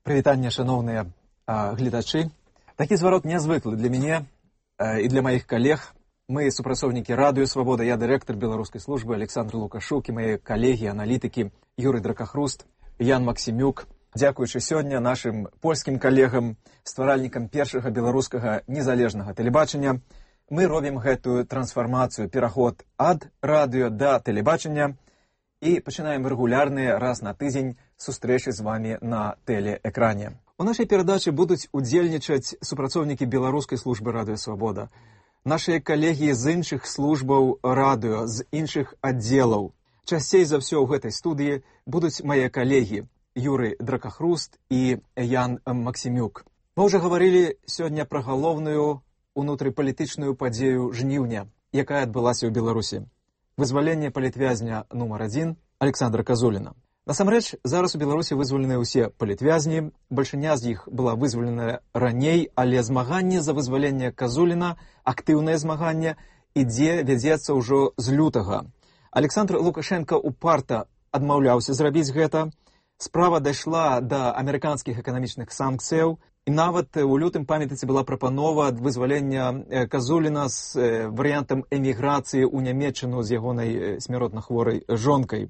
Прывітанне, шановныя а, гледачы. Такі зварот нязвыклы для мяне а, і для маіх калег. Мы супрацоўнікі радыё Свабода, я дырэктар беларускай службы Александр Лукашук і мае калегі, аналітыкі Юрый Дракахруст, Ян Максимюк. Дзякуючы сёння нашым польскім калегам, стваральнікам першага беларускага незалежнага тэлебачання, мы робім гэтую трансфармацыю, пераход ад радыё да тэлебачання і пачынаем рэгулярныя раз на тыдзень сустрэчы з вамі на тэлеэкране. У нашай перадачы будуць удзельнічаць супрацоўнікі беларускай службы радыё Свабода, нашыя калегі з іншых службаў радыё, з іншых аддзелаў. Часцей за ўсё ў гэтай студыі будуць мае калегі Юрый Дракахруст і Ян Максимюк. Мы ўжо гаварылі сёння пра галоўную унутрыпалітычную падзею жніўня, якая адбылася ў Беларусі. Вызваленне палітвязня нумар адзін Александра Казуліна. Насамрэч, зараз у Беларусі вызваленыя ўсе палітвязні, бальшыня з іх была вызваленая раней, але змаганне за вызваленне Казуліна, актыўнае змаганне, ідзе, вядзецца ўжо з лютага. Александр Лукашенко упарта адмаўляўся зрабіць гэта. Справа дайшла да амерыканскіх эканамічных санкцыяў, і нават у лютым, памятаеце, была прапанова вызвалення Казуліна з варыянтам эміграцыі ў Нямецчыну з ягонай смяротна хворай жонкай.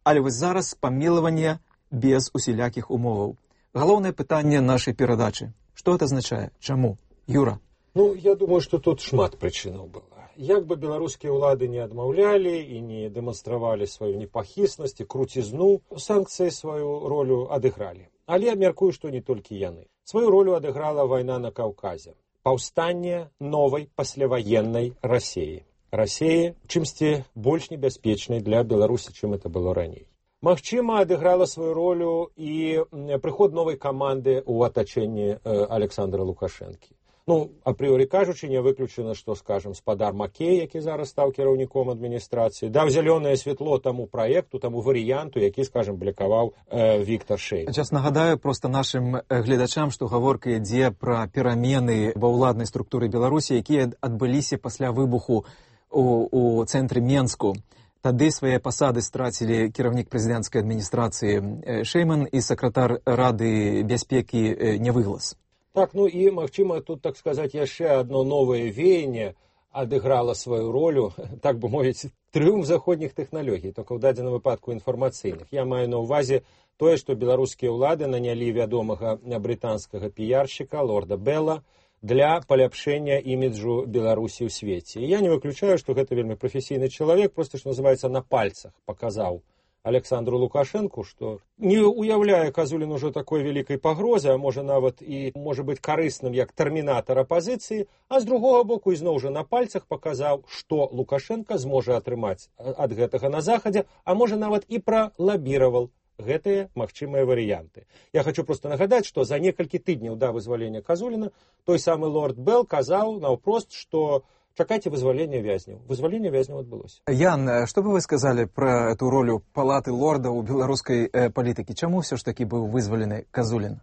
Але вось зараз памілаванне без усялякіх умоваў. Галоўнае пытанне нашай перадачы. Што гэта азначае? Чаму? Юра? Ну, я думаю, што тут шмат прычынаў было. Як бы беларускія ўлады не адмаўлялі і не дэманстравалі сваю непахіснасць і круцізну, санкцыі сваю ролю адыгралі. Але я мяркую, што не толькі яны. Сваю ролю адыграла вайна на Каўказе. Паўстанне новай пасляваеннай Расіі. Расіі чымсьці больш небяспечнай для Беларусі, чым это было раней. Магчыма, адыграла сваю ролю і прыход новай каманды ў атачэнні Александра Лукашэнкі. Ну, апрыорі кажучы, не выключана, што, скажам, спадар Макей, які зараз стаў кіраўніком адміністрацыі, даў зялёнае святло таму праекту, таму варыянту, які, скажам, блякаваў э, Віктор Шэй. Сейчас нагадаю просто нашым гледачам, што гаворка ідзе пра перамены ва ўладнай структуры Беларусі, якія адбыліся пасля выбуху у, у цэнтры Менску. Тады свае пасады страцілі кіраўнік прэзідэнцкай адміністрацыі Шэйман і сакратар Рады бяспекі Нявыглас. Так, ну і, магчыма, тут, так сказаць, яшчэ адно новае веянне адыграла сваю ролю, так бы мовіць, трыумф заходніх тэхналогій, толькі ў дадзеным выпадку інфармацыйных. Я маю на ўвазе тое, што беларускія ўлады нанялі вядомага брытанскага піяршчыка лорда Белла для паляпшэння іміджу Беларусі ў свеце. І я не выключаю, што гэта вельмі прафесійны чалавек, проста, што называецца, на пальцах паказаў Александру Лукашенку, што не уяўляе Казулін ужо такой вялікай пагрозы, а можа нават і можа быць карысным як тэрмінатар апазіцыі, а з другога боку ізноў жа на пальцах паказаў, што Лукашенка зможа атрымаць ад гэтага на захадзе, а можа нават і пралабіраваў гэтыя магчымыя варыянты. Я хочу просто нагадаць, што за некалькі тыдняў да вызвалення Казуліна той самы лорд Белл казаў наўпрост, што чакайце вызвалення вязняў. Вызваленне вязняў адбылося. Ян, што бы вы сказалі пра эту ролю палаты лордаў у беларускай э, палітыкі? Чаму ўсё ж такі быў вызвалены Казулін?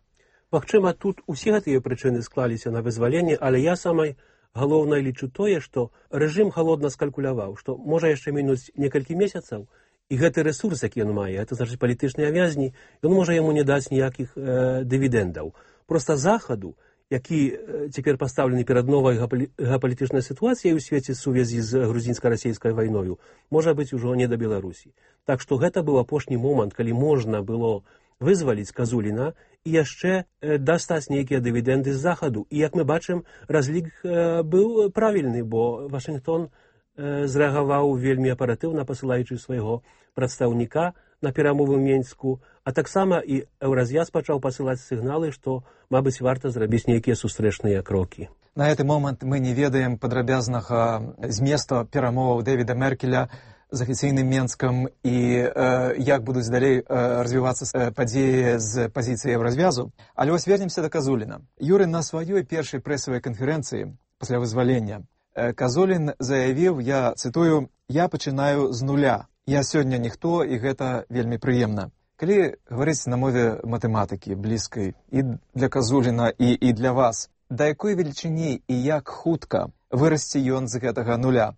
Магчыма, тут усе гэтыя прычыны склаліся на вызваленне, але я самай галоўнай лічу тое, што рэжым халодна скалькуляваў, што можа яшчэ мінуць некалькі месяцаў, і гэты рэсурс, які ён мае, это значыць палітычныя вязні, ён можа яму не даць ніякіх э, дывідэндаў. Проста захаду, які цяпер пастаўлены перад новай геапалітычнай сітуацыяй у свеце сувязі з грузінска-расійскай вайною, можа быць ужо не да Беларусі. Так што гэта быў апошні момант, калі можна было вызваліць Казуліна і яшчэ дастаць нейкія дывідэнды з захаду. І, як мы бачым, разлік быў правільны, бо Вашынгтон зрэагаваў вельмі аператыўна, пасылаючы свайго прадстаўніка на перамовы ў Менску, а таксама і Еўраз'яз пачаў пасылаць сігналы, што, мабыць, варта зрабіць нейкія сустрэчныя крокі. На гэты момант мы не ведаем падрабязнага зместу перамоваў Дэвіда Меркеля з афіцыйным Менскам і э, як будуць далей э, развівацца падзеі з пазіцыі Еўразвязу. Але вось вернемся да Казуліна. Юры, на сваёй першай прэсавай канферэнцыі пасля вызвалення э, Казулін заявіў, я цытую, «Я пачынаю з нуля. Я сёння ніхто, і гэта вельмі прыемна». Калі гаварыць на мове матэматыкі, блізкай і для Казуліна, і, і для вас, да якой велічыні і як хутка вырасце ён з гэтага нуля?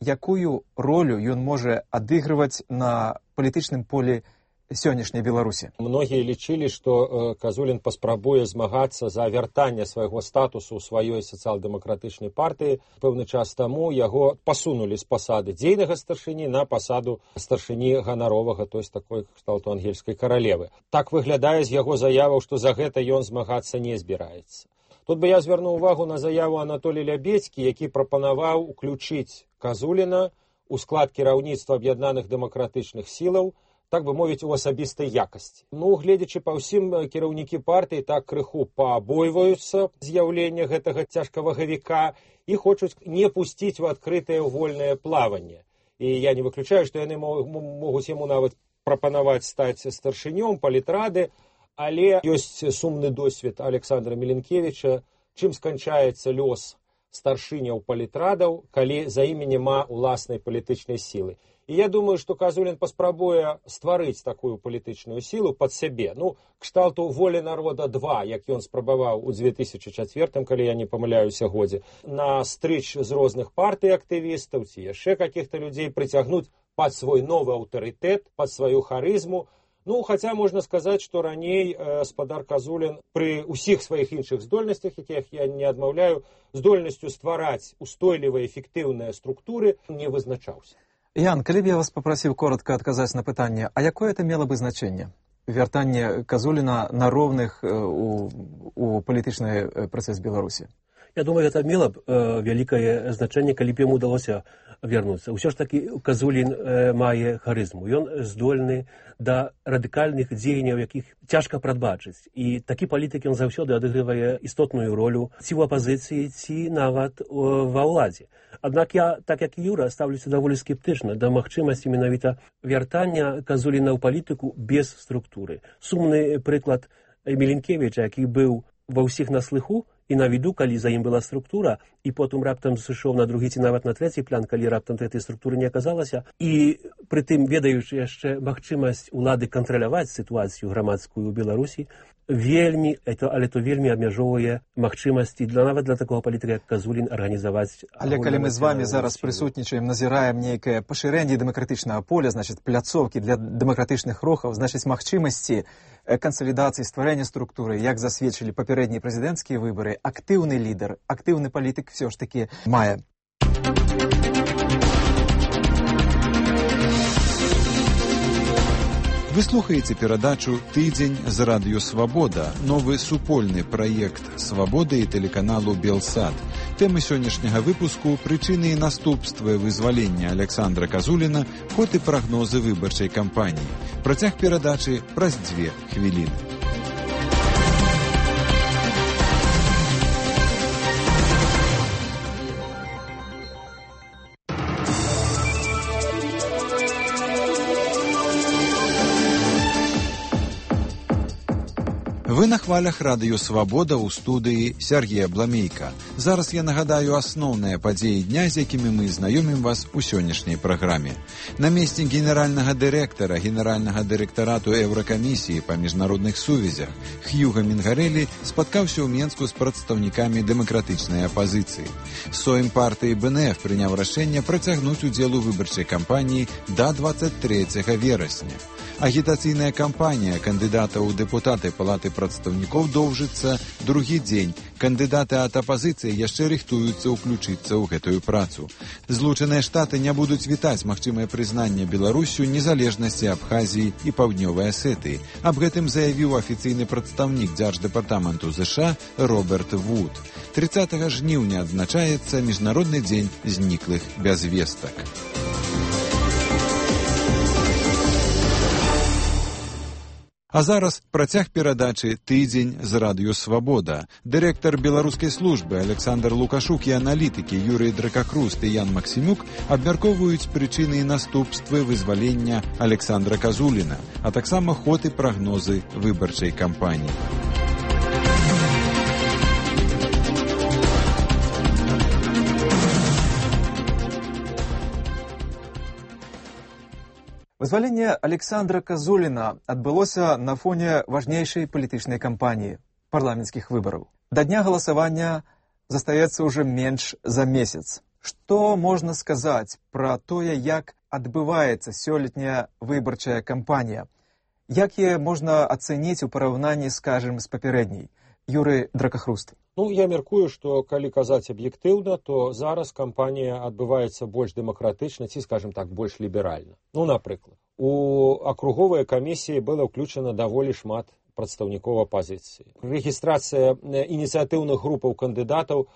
Якую ролю ён можа адыгрываць на палітычным полі сённяшняй Беларусі? Многія лічылі, што Казулін паспрабуе змагацца за вяртанне свайго статусу ў сваёй сацыял-дэмакратычнай партыі. Пэўны час таму яго пасунулі з пасады дзейнага старшыні на пасаду старшыні ганаровага, то есть такой кшталту ангельскай каралевы. Так выглядае з яго заяваў, што за гэта ён змагацца не збіраецца. Тут бы я звярнуў увагу на заяву Анатолія Лябедзькі, які прапанаваў уключыць Казуліна у склад кіраўніцтва аб'яднаных дэмакратычных сілаў, так бы мовіць, у асабістай якасці. Ну, гледзячы па ўсім, кіраўнікі партыі так крыху паабойваюцца з'яўлення гэтага цяжкавагавіка і хочуць не пусціць у адкрытае вольнае плаванне. І я не выключаю, што яны могуць яму нават прапанаваць стаць старшынём палітрады, але ёсць сумны досвед Александра Міленкевіча, чым сканчаецца лёс старшыняў палітрадаў, калі за імі няма уласнай палітычнай сілы. І я думаю, што Казулін паспрабуе стварыць такую палітычную сілу пад сябе. Ну, кшталту «Воля народа два», як ён спрабаваў у две тысячы чацвёртым, калі я не памыляюся годзе, на стрыч з розных партый актывістаў ці яшчэ какіх-то людзей прыцягнуць пад свой новы аўтарытэт, пад сваю харызму. Ну, хаця можна сказаць, што раней э, спадар Казулін пры ўсіх сваіх іншых здольнасцях, якіх я не адмаўляю, здольнасцю ствараць устойлівыя эфектыўныя структуры не вызначаўся. Ян, калі б я вас папрасіў коротка адказаць на пытанне, а якое это мела бы значэнне? Вяртанне Казуліна на роўных э, у, у палітычны працэс Беларусі? Я думаю, гэта мела б э, вялікае значэнне, калі б яму удалося вярнуцца. Усё ж такі Казулін э, мае харызму. Ён здольны да радыкальных дзеянняў, якіх цяжка прадбачыць. І такі палітык ён заўсёды адыгрывае істотную ролю ці ў апазіцыі, ці нават ва ўладзе. Аднак я, так як і Юра, ставлюся даволі скептычна да магчымасці менавіта вяртання Казуліна ў палітыку без структуры. Сумны прыклад Міленкевіча, які быў ва ўсіх на слыху і на віду, калі за ім была структура, і потым раптам сышоў на другі ці нават на трэці план, калі раптам гэтай структуры не аказалася. І прытым, ведаючы яшчэ магчымасць улады кантраляваць сітуацыю грамадскую ў Беларусі, вельмі, это, але то вельмі абмяжоўвае магчымасці для нават для такого палітыка, як Казулін, арганізаваць. Але калі мы з вами зараз прысутнічаем, назіраем нейкае пашырэнне дэмакратычнага поля, значыць, пляцоўкі для дэмакратычных рухаў, значыць, магчымасці кансалідацыі, стварэння структуры, як засведчылі папярэднія прэзідэнцкія выбары, актыўны лідар, актыўны палітык все ж таки мае. Вы слухаеце перадачу «Тыдзень з радыё Свабода», новы супольны праект «Свабоды» і тэлеканалу «Белсад». Тэмы сённяшняга выпуску – прычыны і наступствы вызвалення Александра Казуліна, ход і прагнозы выбарчай кампаніі. Працяг перадачы праз дзве хвіліны. Вы на хвалях радыё «Свабода» ў студыі Сергея Бламейка. Зараз я нагадаю асноўныя падзеі дня, з якімі мы знаёмім вас у сённяшняй праграме. Намеснік генеральнага дырэктара генеральнага дырэктарату Еўракамісіі па міжнародных сувязях Хьюга Мінгарэлі спаткаўся ў Менску з прадстаўнікамі дэмакратычнай апазіцыі. Сойм партыі бэ эн эф прыняў рашэнне працягнуць удзел у выбарчай кампаніі да дваццаць трэцяга верасня. Агітацыйная кампанія кандыдатаў у дэпутаты Палаты прадстаўнікаў прадстаўнікоў доўжыцца другі дзень. Кандыдаты ад апазіцыі яшчэ рыхтуюцца ўключыцца ў гэтую працу. Злучаныя Штаты не будуць вітаць магчымае прызнанне Беларусю незалежнасці Абхазіі і Паўднёвай Асетыі. Аб гэтым заявіў афіцыйны прадстаўнік Дзярждэпартаменту ЗША Роберт Вуд. трыццатага жніўня адзначаецца Міжнародны дзень зніклых без вестак. А зараз працяг перадачы «Тыдзень з радыё Свабода». Дырэктар беларускай службы Александр Лукашук і аналітыкі Юрый Дракахруст і Ян Максімюк абмяркоўваюць прычыны і наступствы вызвалення Александра Казуліна, а таксама ход і прагнозы выбарчай кампаніі. Вызваленне Александра Казуліна адбылося на фоне важнейшай палітычнай кампаніі – парламенцкіх выбараў. Да дня галасавання застаецца ўжо менш за месяц. Што можна сказаць пра тое, як адбываецца сёлетняя выбарчая кампанія? Як яе можна ацэніць у параўнанні, скажем, з папярэдняй? Юрый Дракахруст. Ну, я мяркую, што калі казаць аб'ектыўна, то зараз кампанія адбываецца больш дэмакратычна ці, скажем так, больш ліберальна. Ну, напрыклад, у акруговыя камісіі было ўключана даволі шмат прадстаўнікоў апазіцыі. Рэгістрацыя ініцыятыўных групаў кандыдатаў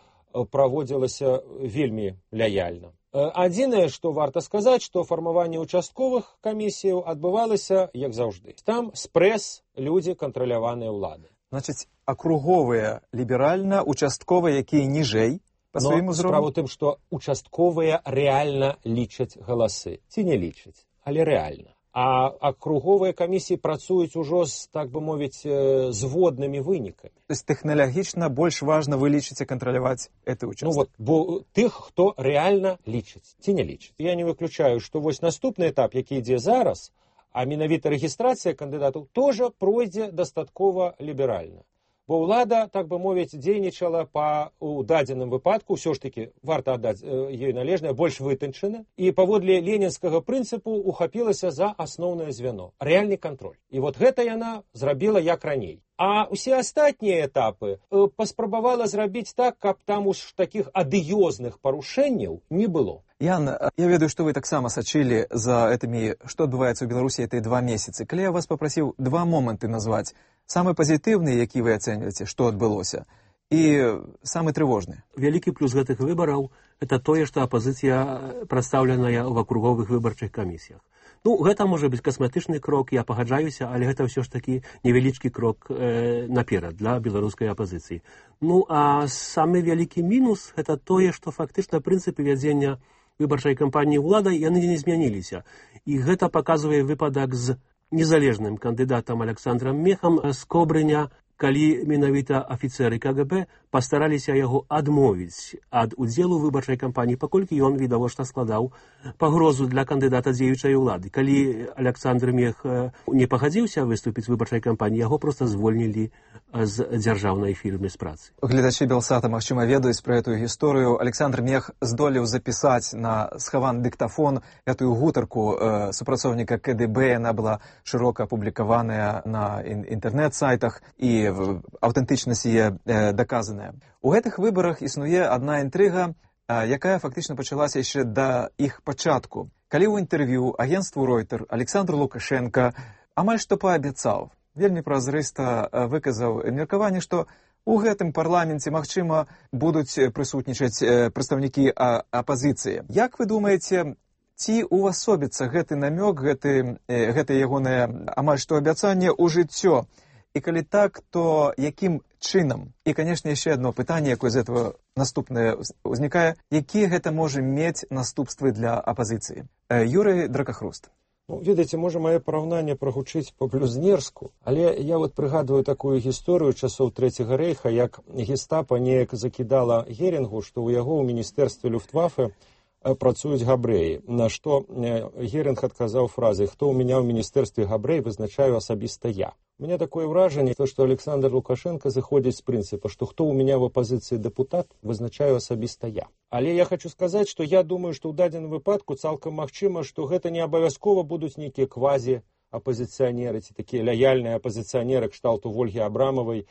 праводзілася вельмі лаяльна. Адзінае, што варта сказаць, што фармаванне участковых камісіяў адбывалася, як заўжды. Там спрэс людзі кантраляваныя ўлады. Значыць, акруговыя ліберальна, участковыя, якія ніжэй па сваім узроўні? Справа ў тым, што участковыя рэальна лічаць галасы. Ці не лічаць, але рэальна. А акруговыя камісіі працуюць ужо з, так бы мовіць, зводнымі вынікамі. То есть тэхналагічна больш важна вы лічыце кантраляваць гэты участак? Ну вот, бо тых, хто рэальна лічыць, ці не лічыць. Я не выключаю, што вось наступны этап, які ідзе зараз, а менавіта рэгістрацыя кандыдатаў тоже пройдзе дастаткова ліберальна. Бо ўлада, так бы мовіць, дзейнічала па у дадзеным выпадку, ўсё ж такі варта аддаць ёй належнае, больш вытанчана, і паводле ленінскага прынцыпу ухапілася за асноўнае звяно рэальны кантроль. І вот гэта яна зрабіла як раней. А ўсе астатнія этапы паспрабавала зрабіць так, каб там уж такіх адыёзных парушэнняў не было. Ян, я ведаю, што вы таксама сачылі за гэтымі, што адбываецца ў Беларусі гэтыя два месяцы. Калі я вас папрасіў два моманты назваць, самы пазітыўны, які вы ацэньваеце, што адбылося, і самы трывожны. Вялікі плюс гэтых выбараў – это тое, што апазіцыя прадстаўленая ў акруговых выбарчых камісіях. Ну, гэта можа быць касметычны крок, я пагаджаюся, але гэта ўсё ж такі невялічкі крок э, наперад для беларускай апазіцыі. Ну, а самы вялікі мінус – гэта тое, што фактычна прынцыпы вядзення выбарчай кампаніі ўладай яны не змяніліся. І гэта паказвае выпадак з незалежным кандыдатам Александрам Мехам з Кобрыня, калі менавіта афіцэры КГБ пастараліся яго адмовіць ад удзелу выбарчай кампаніі, паколькі ён відавочна складаў пагрозу для кандыдата дзеючай улады. Калі Александр Мех не пагадзіўся выступіць в выбарчай кампаніі, яго проста звольнілі з дзяржаўнай фірмы з працы. Гледачы Белсата, магчыма, ведаюць пра гэтую гісторыю. Александр Мех здолеў запісаць на схаваны дыктафон гэтую гутарку э, супрацоўніка КДБ. Яна была шырока апублікаваная на інтэрнэт-сайтах і аўтэнтычнасць яе э, даказаная. У гэтых выбарах існуе адна інтрыга, э, якая фактычна пачалася яшчэ да іх пачатку. Калі ў інтэрв'ю агенству Ройтер Александр Лукашенко амаль што паабяцаў, вельмі празрыста выказаў меркаванне, што у гэтым парламенце, магчыма, будуць прысутнічаць э, прадстаўнікі апазіцыі. Як вы думаеце, ці увасобіцца гэты намёк, гэты, э, гэта ягонае амаль што абяцанне ў жыццё? І калі так, то якім чынам? І, канешне, яшчэ одно пытанне, якое з этого наступнае ўзнікае. Якія гэта можа мець наступствы для апазіцыі? Юрый Дракахруст. Ну, ведаеце, можа, мае параўнанне прагучыць па-блюзнерску, але я вот прыгадваю такую гісторыю часоў Трэцяга рэйха, як гестапа неяк закідала Герінгу, што ў яго ў міністэрстве Люфтваффе працуюць габрэі, на што Герінг адказаў фразай: «Хто ў мяне ў міністэрстве габрэй, вызначаю асабіста я». У меня такое ўражанне, што Александр Лукашенко зыходзіць з прынцыпа, што хто ў мяне в апазіцыі дэпутат, вызначаю асабіста я. Але я хочу сказаць, што я думаю, што ў дадзеным выпадку цалкам магчыма, што гэта не абавязкова будуць нейкія квазі апазіцыянеры ці такія лаяльныя апазіцыянеры кшталту Вольгі Абрамавай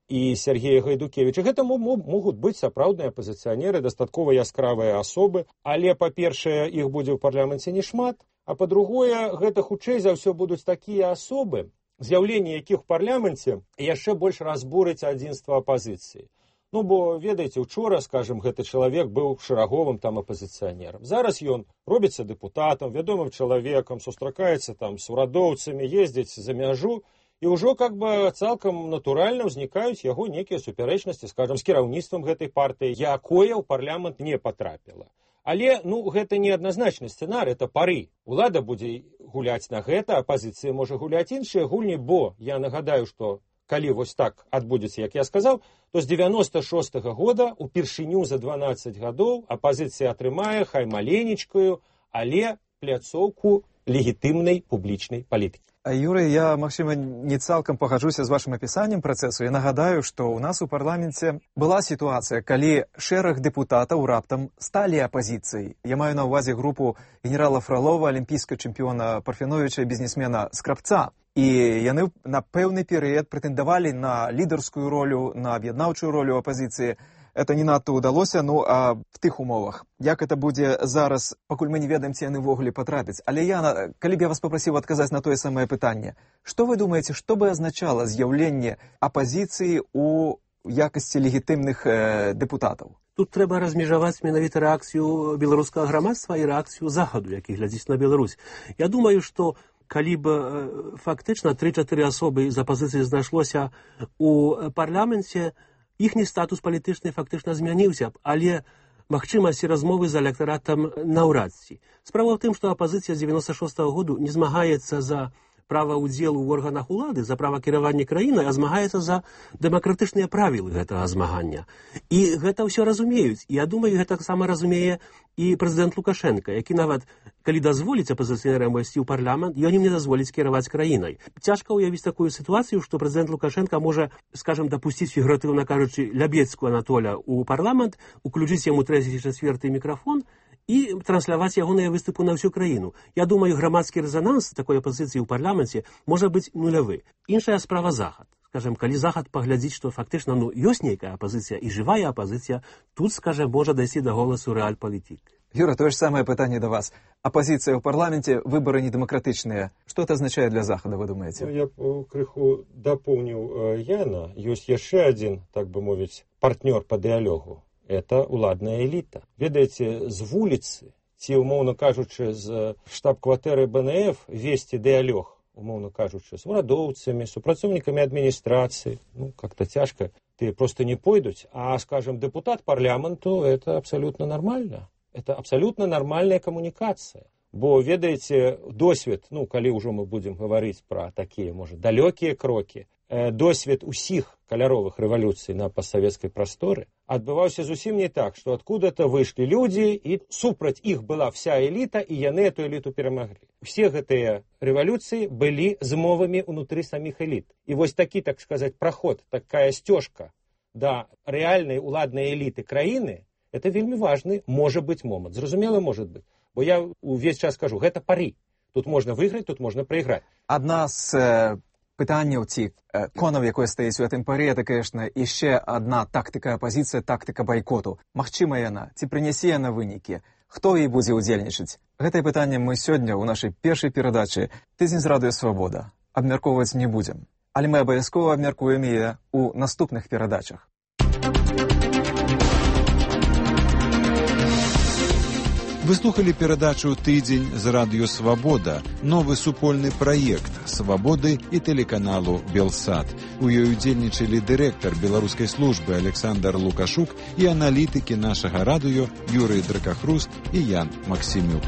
і Сергея Гайдукевіча. Гэта могуць быць сапраўдныя апазіцыянеры, дастаткова яскравыя асобы, але, па-першае, іх будзе ў парламенце не шмат, а па-другое, гэта хутчэй за ўсё будуць такія асобы, з'яўленне якіх у парламенце яшчэ больш разбурыць адзінства апазіцыі. Ну, бо, ведаеце, учора, скажем, гэты чалавек быў шараговым там апазіцыянерам. Зараз ён робіцца дэпутатам, вядомым чалавекам, сустракаецца там з урадоўцамі, ездзіць за мяжу, і ўжо как бы цалкам натуральна ўзнікаюць яго нейкія супярэчнасці, скажем, з кіраўніцтвам гэтай партыі, якое ў парламент не патрапіла. Але, ну, гэта не адназначны сцэнар, это пары. Улада будзе гуляць на гэта, апазіцыя можа гуляць іншыя гульні, бо я нагадаю, што калі вось так адбудзецца, як я сказаў, то з девяносто шостага года упершыню за дванаццаць гадоў апазіцыя атрымае, хай маленечкую, але пляцоўку легітымнай публічнай палітыкі. Юрый, я, магчыма, не цалкам пагаджуся з вашым апісаннем працэсу. Я нагадаю, што ў нас у парламенце была сітуацыя, калі шэраг дэпутатаў раптам сталі апазіцыяй. Я маю на ўвазе групу генерала Фролова, алімпійскага чэмпіёна Парфяновіча, бізнесмена Скрабца. І яны на пэўны перыяд прэтэндавалі на лідарскую ролю, на аб'яднаўчую ролю апазіцыі. Это не надта ўдалося, ну а в тых умовах. Як это будзе зараз, пакуль мы не ведаем, ці яны ўвогуле патрапяць. Але я, калі б я вас папрасіў адказаць на тое самае пытанне, што вы думаеце, што бы азначала з'яўленне апазіцыі ў якасці легітымных э, дэпутатаў? Тут трэба размежаваць менавіта рэакцыю беларускага грамадства і рэакцыю захаду, які глядзіць на Беларусь. Я думаю, што калі б фактычна тры-чатыры асобы з апазіцыі знайшлося ў парламенце, іхні статус палітычны фактычна змяніўся б, але магчымасці размовы з электаратам наўрад ці. Справа ў тым, што апазіцыя з девяносто шостага году не змагаецца за права ўдзелу ў органах улады, за права кіравання краінай, а змагаецца за дэмакратычныя правілы гэтага змагання. І гэта ўсё разумеюць. І я думаю, гэта таксама разумее і прэзідэнт Лукашенко, які нават, калі дазволіць апазіцыянерам увайсці ў парламент, ён ім не дазволіць кіраваць краінай. Цяжка ўявіць такую сітуацыю, што прэзідэнт Лукашенко можа, скажем, дапусціць, фігуратыўна кажучы, Лябецкую Анатоля ў парламент, уключыць яму трэці ці чацвёрты мікрафон і трансляваць ягоныя выступы на ўсю краіну. Я думаю, грамадскі рэзананс такой апазіцыі ў парламенце можа быць нулявы. Іншая справа захад. Скажем, калі захад паглядзіць, што фактычна ну, ёсць нейкая апазіцыя і жывая апазіцыя, тут, скажем, можа дайсці да голасу рэальпалітык. Юра, тое ж самае пытанне да вас. Апазіцыя ў парламенце, выбары недэмакратычныя. Што это азначае для захада, вы думаеце? Я б крыху дапоўніў Яна. Ёсць яшчэ адзін, так бы мовіць, партнёр па дыялогу. Это уладная эліта. Ведаеце, з вуліцы, ці, умоўна кажучы, з штаб-кватэры бэ эн эф весці дыялог, умоўна кажучы, з урадоўцамі, супрацоўнікамі адміністрацыі, ну, как-то цяжка, ты просто не пойдуць, а, скажем, депутат парламенту, это абсолютно нормально. Это абсолютно нормальная камунікацыя. Бо, ведаеце, досвед, ну, калі ўжо мы будзем гаварыць пра такія, можа, далёкія крокі, э, досвед усіх каляровых рэвалюцый на пастсавецкай прасторы адбываўся зусім не так, што адкуда-то выйшлі людзі, і супраць іх была вся эліта, і яны эту эліту перамаглі. Усе гэтыя рэвалюцыі былі змовамі ўнутры саміх эліт. І вось такі, так сказаць, праход, такая сцёжка да рэальнай уладнай эліты краіны, это вельмі важны, можа быць, момант. Зразумела, можа быць. Бо я увесь час кажу, гэта пары. Тут можна выйграць, тут можна прайграць. Адна з э, пытанняў ці э, конаў, якое стаіць у гэтым паре, это, конечно, яшчэ адна тактыка апазіцыя, тактыка байкоту. Магчыма яна, ці прынясе яна вынікі? Хто і будзе ўдзельнічаць? Гэтае пытанне мы сёння ў нашай першай перадачы «Тыдзень з радыё Свабода» абмяркоўваць не будзем. Але мы абавязкова абмяркуем яе ў наступных перадачах. Вы слухали перадачу «Тыдзень з радыё Свабода», новы супольны праект «Свабоды» і тэлеканалу «Белсат». У ёй удзельнічалі дырэктар беларускай службы Александр Лукашук і аналітыкі нашага радыё Юрый Дракахруст і Ян Максімюк.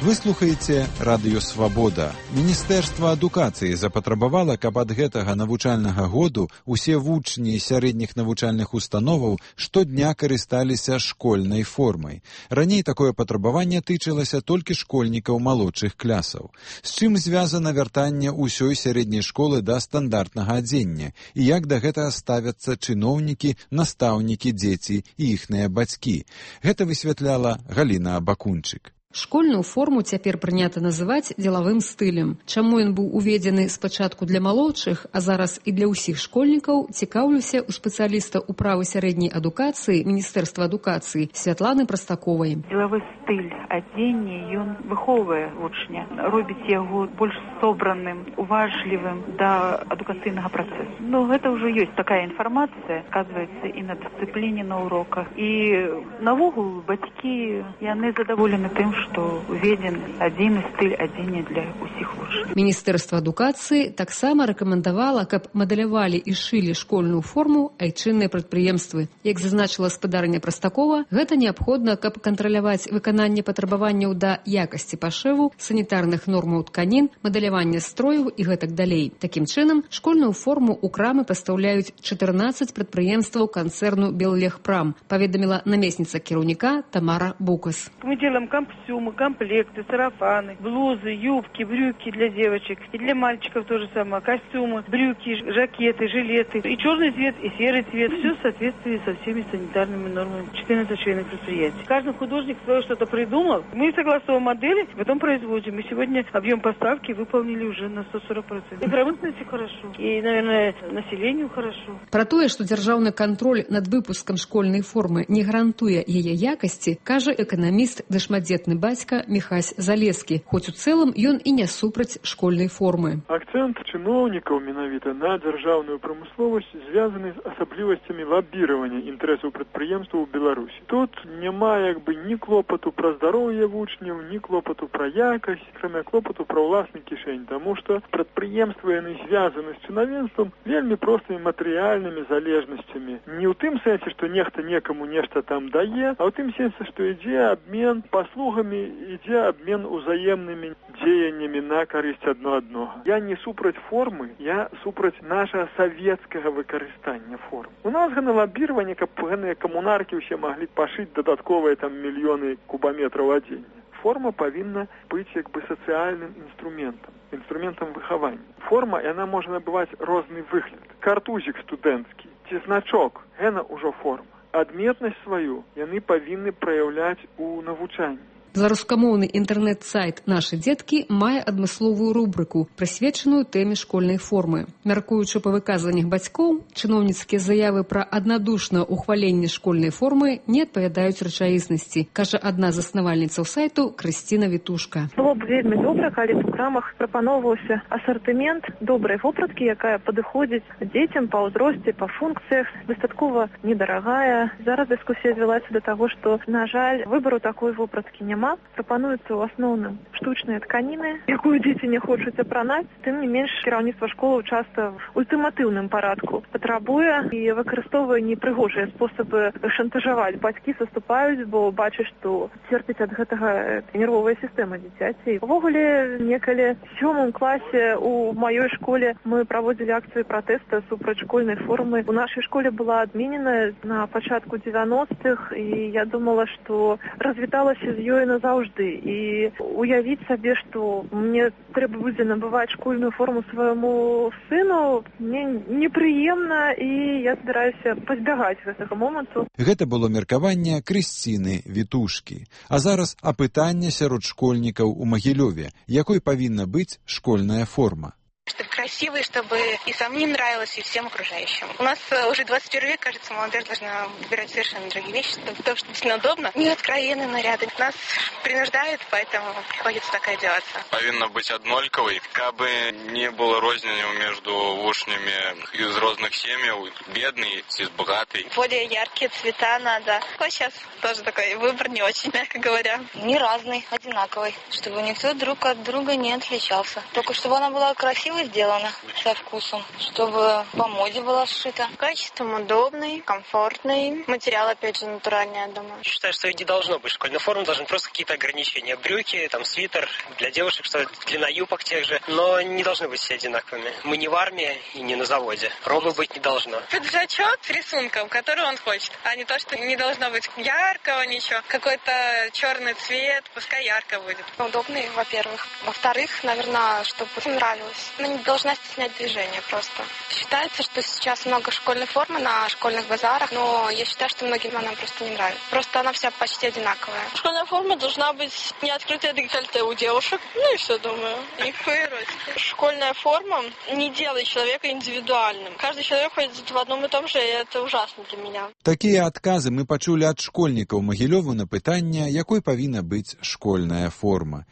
Вы слухаеце радыё Свабода. Міністэрства адукацыі запатрабавала, каб ад гэтага навучальнага году усе вучні сярэдніх навучальных установаў штодня карысталіся школьнай формай. Раней такое патрабаванне тычылася толькі школьнікаў малодшых клясаў. З чым звязана вяртанне ўсёй сярэдняй школы да стандартнага адзення і як да гэтага ставяцца чыноўнікі, настаўнікі, дзеці і іхныя бацькі. Гэта высвятляла Галіна Абакунчык. Школьную форму цяпер прынята называць дзелавым стылем. Чаму ён быў уведзены спачатку для малодшых, а зараз і для ўсіх школьнікаў, цікаўлюся у спецыяліста ў правы сярэдняй адукацыі Міністэрства адукацыі Святланы Прастаковай. Дзелавы стыль адзення, ён выхоўвае вучня, робіць яго больш собраным, уважлівым да адукацыйнага працэсу. Ну, гэта ўжо ёсць такая інфармацыя, сказваецца і на дысцыпліне на уроках. І навогул бацькі, яны задаволены тым, што уведзен адзіны стыль адзення для ўсіх вучняў. Міністэрства адукацыі таксама рэкамендавала, каб мадэлявалі і шылі школьную форму айчынныя прадпрыемствы. Як зазначыла спадарня Прастакова, гэта неабходна, каб кантраляваць выкананне патрабаванняў да якасці пашыву, санітарных нормаў тканін, мадэлявання строяў і гэтак далей. Такім чынам, школьную форму ў крамы пастаўляюць чатырнаццаць прадпрыемстваў канцэрну «Беллегпрам», паведаміла намесніца кіраўніка Тамара Букас. Мы делаем костюмы, комплекты, сарафаны, блузы, юбки, брюки для девочек. И для мальчиков то же самое. Костюмы, брюки, жакеты, жилеты. И черный цвет, и серый цвет. Все в соответствии со всеми санитарными нормами четырнадцати членов предприятия. Каждый художник свое что-то придумал. Мы согласовываем модели, потом производим. И сегодня объем поставки выполнили уже на сто сорок процентов. И промышленности хорошо. И, наверное, населению хорошо. Про тое, што дзяржаўны кантроль над выпускам школьнай формы не гарантуе яе якасці, кажа эканаміст ды шматдзетны бацька Міхась Залескі, хоць у цэлым ён і не супраць школьнай формы. Акцэнт чыноўнікаў менавіта на дзяржаўную прамысловасць звязаны з асаблівасцямі лабіравання інтарэсаў прадпрыемстваў у Беларусі. Тут няма як бы ні клопату пра здароўе вучняў, ні клопату пра якасць, акрамя клопату пра ўласны кішэнь, таму што прадпрыемствы яны звязаны з чынавенствам вельмі простымі матэрыяльнымі залежнасцямі. Не ў тым сэнсе, што нехта некаму нешта там дае, а ў тым сэнсе, што ідзе абмен паслугамі, ідзе абмен узаемнымі дзеяннямі на карысць адно аднога. Я не супраць формы, я супраць нашага савецкага выкарыстання форм. У нас гэна лабіраванне, каб гэтыя камунаркі ўсе маглі пашыць дадатковыя там мільёны кубаметраў адзення. Форма павінна быць як бы сацыяльным інструментам, інструментам выхавання. Форма, яна можа набываць розны выгляд. Картузік студэнцкі ці значок, гэна ўжо форма. Адметнасць сваю яны павінны праяўляць у навучанні. Беларускамоўны інтэрнэт-сайт «Нашы дзеткі» мае адмысловую рубрыку, прысвечаную тэме школьнай формы. Мяркуючы па выказваннях бацькоў, чыноўніцкія заявы пра аднадушнае ўхваленне школьнай формы не адпавядаюць рэчаіснасці, кажа адна з заснавальніцаў сайту Крысціна Вітушка. Было б вельмі добра, калі б у крамах прапаноўваўся асартымент добрай вопраткі, якая падыходзіць дзецям па ўзросце, па функцыях, дастаткова недарагая. Зараз дыскусія звялася да таго, што, на жаль, выбару такой вопраткі няма. Прапануюцца ў асноўным штучныя тканіны, якую дзеці не хочуць апранаць. Тым не менш, кіраўніцтва школы часта ў ультыматыўным парадку патрабуе і выкарыстоўвае непрыгожыя спосабы шантажаваць. Бацькі саступаюць, бо бачаць, што церпіць ад гэтага нервовая сістэма дзіцяці. Увогуле, некалі ў сёмым класе у маёй школе мы праводзілі акцыю пратэста супраць школьнай формы. У нашай школе была адменена на пачатку дзевяностых, і я думала, што развіталася з ёй назаўжды. І уявіць сабе, што мне трэба будзе набываць школьную форму свайму сыну, мне непрыемна, і я збіраюся пазбягаць гэтага моманту. Гэта было меркаванне Крысціны Вітушкі. А зараз апытанне сярод школьнікаў у Магілёве, якой павінна быць школьная форма. Чтобы красивой, чтобы и самим нравилось, и всем окружающим. У нас уже двадцать первый век, кажется, молодежь должна выбирать совершенно другие вещи, потому что действительно удобно. Не откровенные наряды. Нас принуждают, поэтому приходится так одеваться. Повинна быть однольковой, кабы не было розницы между вучнями из разных семей, бедный и богатый. Более яркие цвета надо. Вот сейчас тоже такой выбор не очень, мягко говоря. Не разный, одинаковый, чтобы никто друг от друга не отличался. Только чтобы она была красивой сделана, со вкусом, чтобы по моде была сшита. Качеством удобный, комфортный. Материал, опять же, натуральный, я думаю. Считаю, что и не должно быть школьной формы, должны просто какие-то ограничения. Брюки, там, свитер для девушек, что длина юбок тех же, но не должны быть все одинаковыми. Мы не в армии и не на заводе. Робы быть не должно. Пиджачок с рисунком, который он хочет, а не то, что не должно быть яркого ничего. Какой-то черный цвет, пускай ярко будет. Удобный, во-первых. Во-вторых, наверное, чтобы нравилось. Ну, не должна стеснять движение просто. Считается, что сейчас много школьной формы на школьных базарах, но я считаю, что многим она просто не нравится. Просто она вся почти одинаковая. Школьная форма должна быть не открытая декольте у девушек. Ну и все, думаю. Никакой эротики. Школьная форма не делает человека индивидуальным. Каждый человек ходит в одном и том же, и это ужасно для меня. Такія адказы мы пачулі ад школьнікаў Магілёву на пытанне, якой павінна быць школьная форма.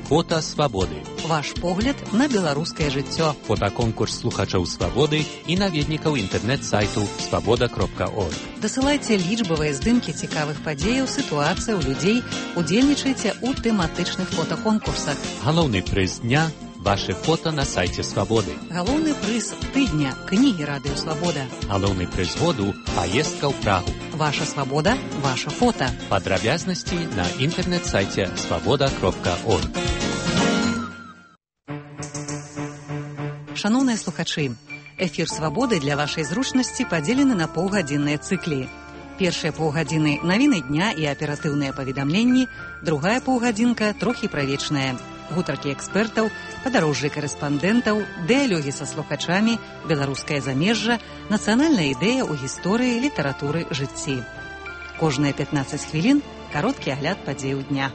Фото свабоды. Ваш погляд на беларускае жыццё. Фотаконкурс слухачоў свабоды і наведнікаў інтэрнэт-сайту свабода кропка орг. Дасылайце лічбавыя здымкі цікавых падзеяў, сітуацыяў, людзей, удзельнічайце ў тэматычных фотаконкурсах. Галоўны прыз дня – вашы фото на сайце свабоды. Галоўны прыз тыдня – кнігі радыё Свабода. Галоўны прыз году – паездка ў Прагу. Ваша свабода – ваша фото. Падрабязнасці на інтэрнэт-сайце свабода кропка орг. Шановныя слухачы, эфір «Свабоды» для вашай зручнасці падзелены на паўгадзінныя цыклі. Першыя паўгадзіны – навіны дня і аператыўныя паведамленні, другая паўгадзінка – трохі правечная. Гутаркі экспертаў, падарожжы карэспандэнтаў, дыялогі са слухачамі, беларускае замежжа, нацыянальная ідэя ў гісторыі, літаратуры, жыцці. Кожныя пятнаццаць хвілін – кароткі агляд падзеяў дня.